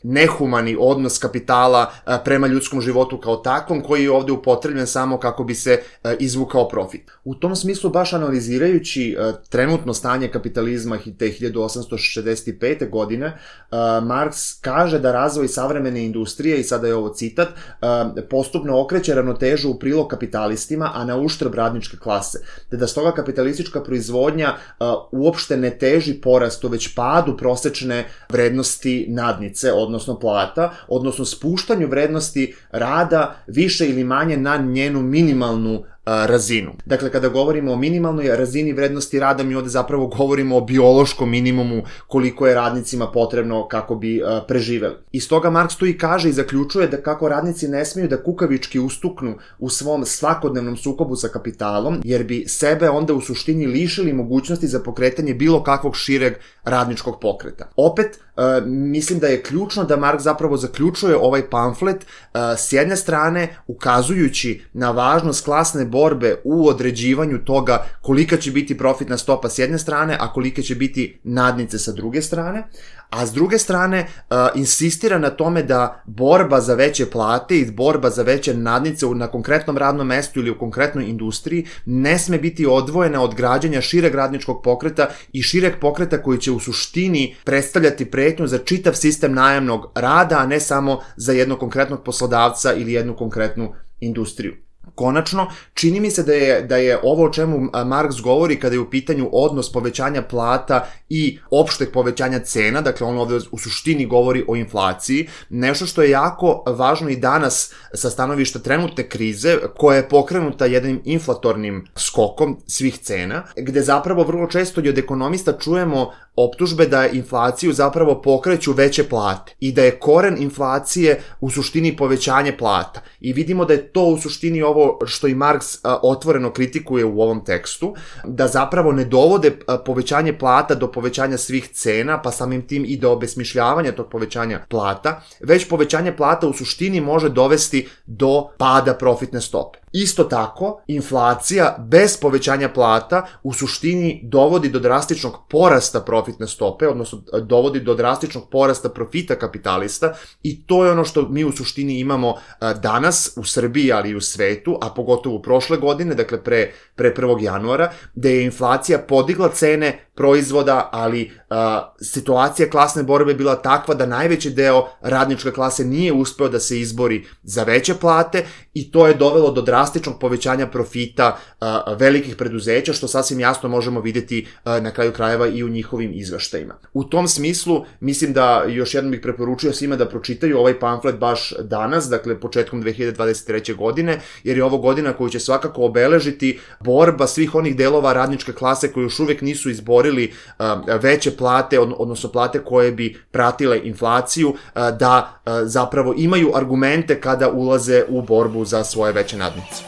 H: nehumani odnos kapitala uh, prema ljudskom životu kao takvom, koji je ovde upotrebljen samo kako bi se uh, izvukao profit. U tom smislu, baš analizirajući uh, trenutno stanje kapitalizma te hiljadu osamsto šezdeset pete. godine, uh, Marks kaže da razvoj savremene industrije, i sada je ovo citat, uh, postupno okreće ravnotežu u prilog kapitalistima, a na uštrb radničke klase, te da stoga kapitalistička proizvodnja uh, uopšte ne teži porastu, već padu prosečne vrednosti nadnice, odnosno plata, odnosno spuštanju vrednosti rada više ili manje na njenu minimalnu razinu. Dakle, kada govorimo o minimalnoj razini vrednosti rada, mi ovde zapravo govorimo o biološkom minimumu koliko je radnicima potrebno kako bi uh, preživeli. I stoga Marks tu i kaže i zaključuje da kako radnici ne smiju da kukavički ustuknu u svom svakodnevnom sukobu sa kapitalom, jer bi sebe onda u suštini lišili mogućnosti za pokretanje bilo kakvog šireg radničkog pokreta. Opet, Uh, mislim da je ključno da Marks zapravo zaključuje ovaj pamflet uh, s jedne strane ukazujući na važnost klasne borbe u određivanju toga kolika će biti profitna stopa s jedne strane, a kolike će biti nadnice sa druge strane, a s druge strane uh, insistira na tome da borba za veće plate i borba za veće nadnice na konkretnom radnom mestu ili u konkretnoj industriji ne sme biti odvojena od građanja šireg radničkog pokreta i šireg pokreta koji će u suštini predstavljati pretnju za čitav sistem najamnog rada, a ne samo za jednog konkretnog poslodavca ili jednu konkretnu industriju. Konačno, čini mi se da je, da je ovo o čemu Marks govori kada je u pitanju odnos povećanja plata i opšteg povećanja cena, dakle on ovde u suštini govori o inflaciji, nešto što je jako važno i danas sa stanovišta trenutne krize, koja je pokrenuta jednim inflatornim skokom svih cena, gde zapravo vrlo često i od ekonomista čujemo optužbe da inflaciju zapravo pokreću veće plate i da je koren inflacije u suštini povećanje plata. I vidimo da je to u suštini ovo što i Marks a, otvoreno kritikuje u ovom tekstu, da zapravo ne dovode a, povećanje plata do povećanja svih cena, pa samim tim i do obesmišljavanja tog povećanja plata, već povećanje plata u suštini može dovesti do pada profitne stope. Isto tako, inflacija bez povećanja plata u suštini dovodi do drastičnog porasta profitne stope, odnosno dovodi do drastičnog porasta profita kapitalista, i to je ono što mi u suštini imamo danas u Srbiji, ali i u svetu, a pogotovo prošle godine, dakle pre, pre prvog januara, gde je inflacija podigla cene proizvoda, ali a, situacija klasne borbe bila takva da najveći deo radničke klase nije uspeo da se izbori za veće plate, i to je dovelo do drastičnog povećanja profita a, velikih preduzeća, što sasvim jasno možemo vidjeti a, na kraju krajeva i u njihovim izveštajima. U tom smislu, mislim da još jednom bih preporučio svima da pročitaju ovaj pamflet baš danas, dakle početkom dve hiljade dvadeset treće. godine, jer je ovo godina koju će svakako obeležiti borba svih onih delova radničke klase koji još uvek nisu izborili a, veće plate, odnosno plate koje bi pratile inflaciju, a, da a, zapravo imaju argumente kada ulaze u borbu za svoje veće nadnice.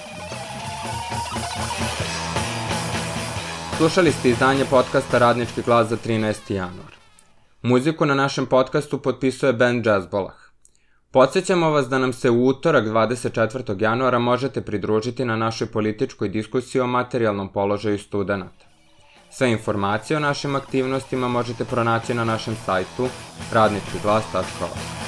A: Slušali ste izdanje podcasta Radnički glas za trinaesti januar. Muziku na našem podcastu potpisuje band Jazzbolah. Podsjećamo vas da nam se u utorak dvadeset četvrtog januara možete pridružiti na našoj političkoj diskusiji o materijalnom položaju studenata. Sve informacije o našim aktivnostima možete pronaći na našem sajtu radnički glas tačka org.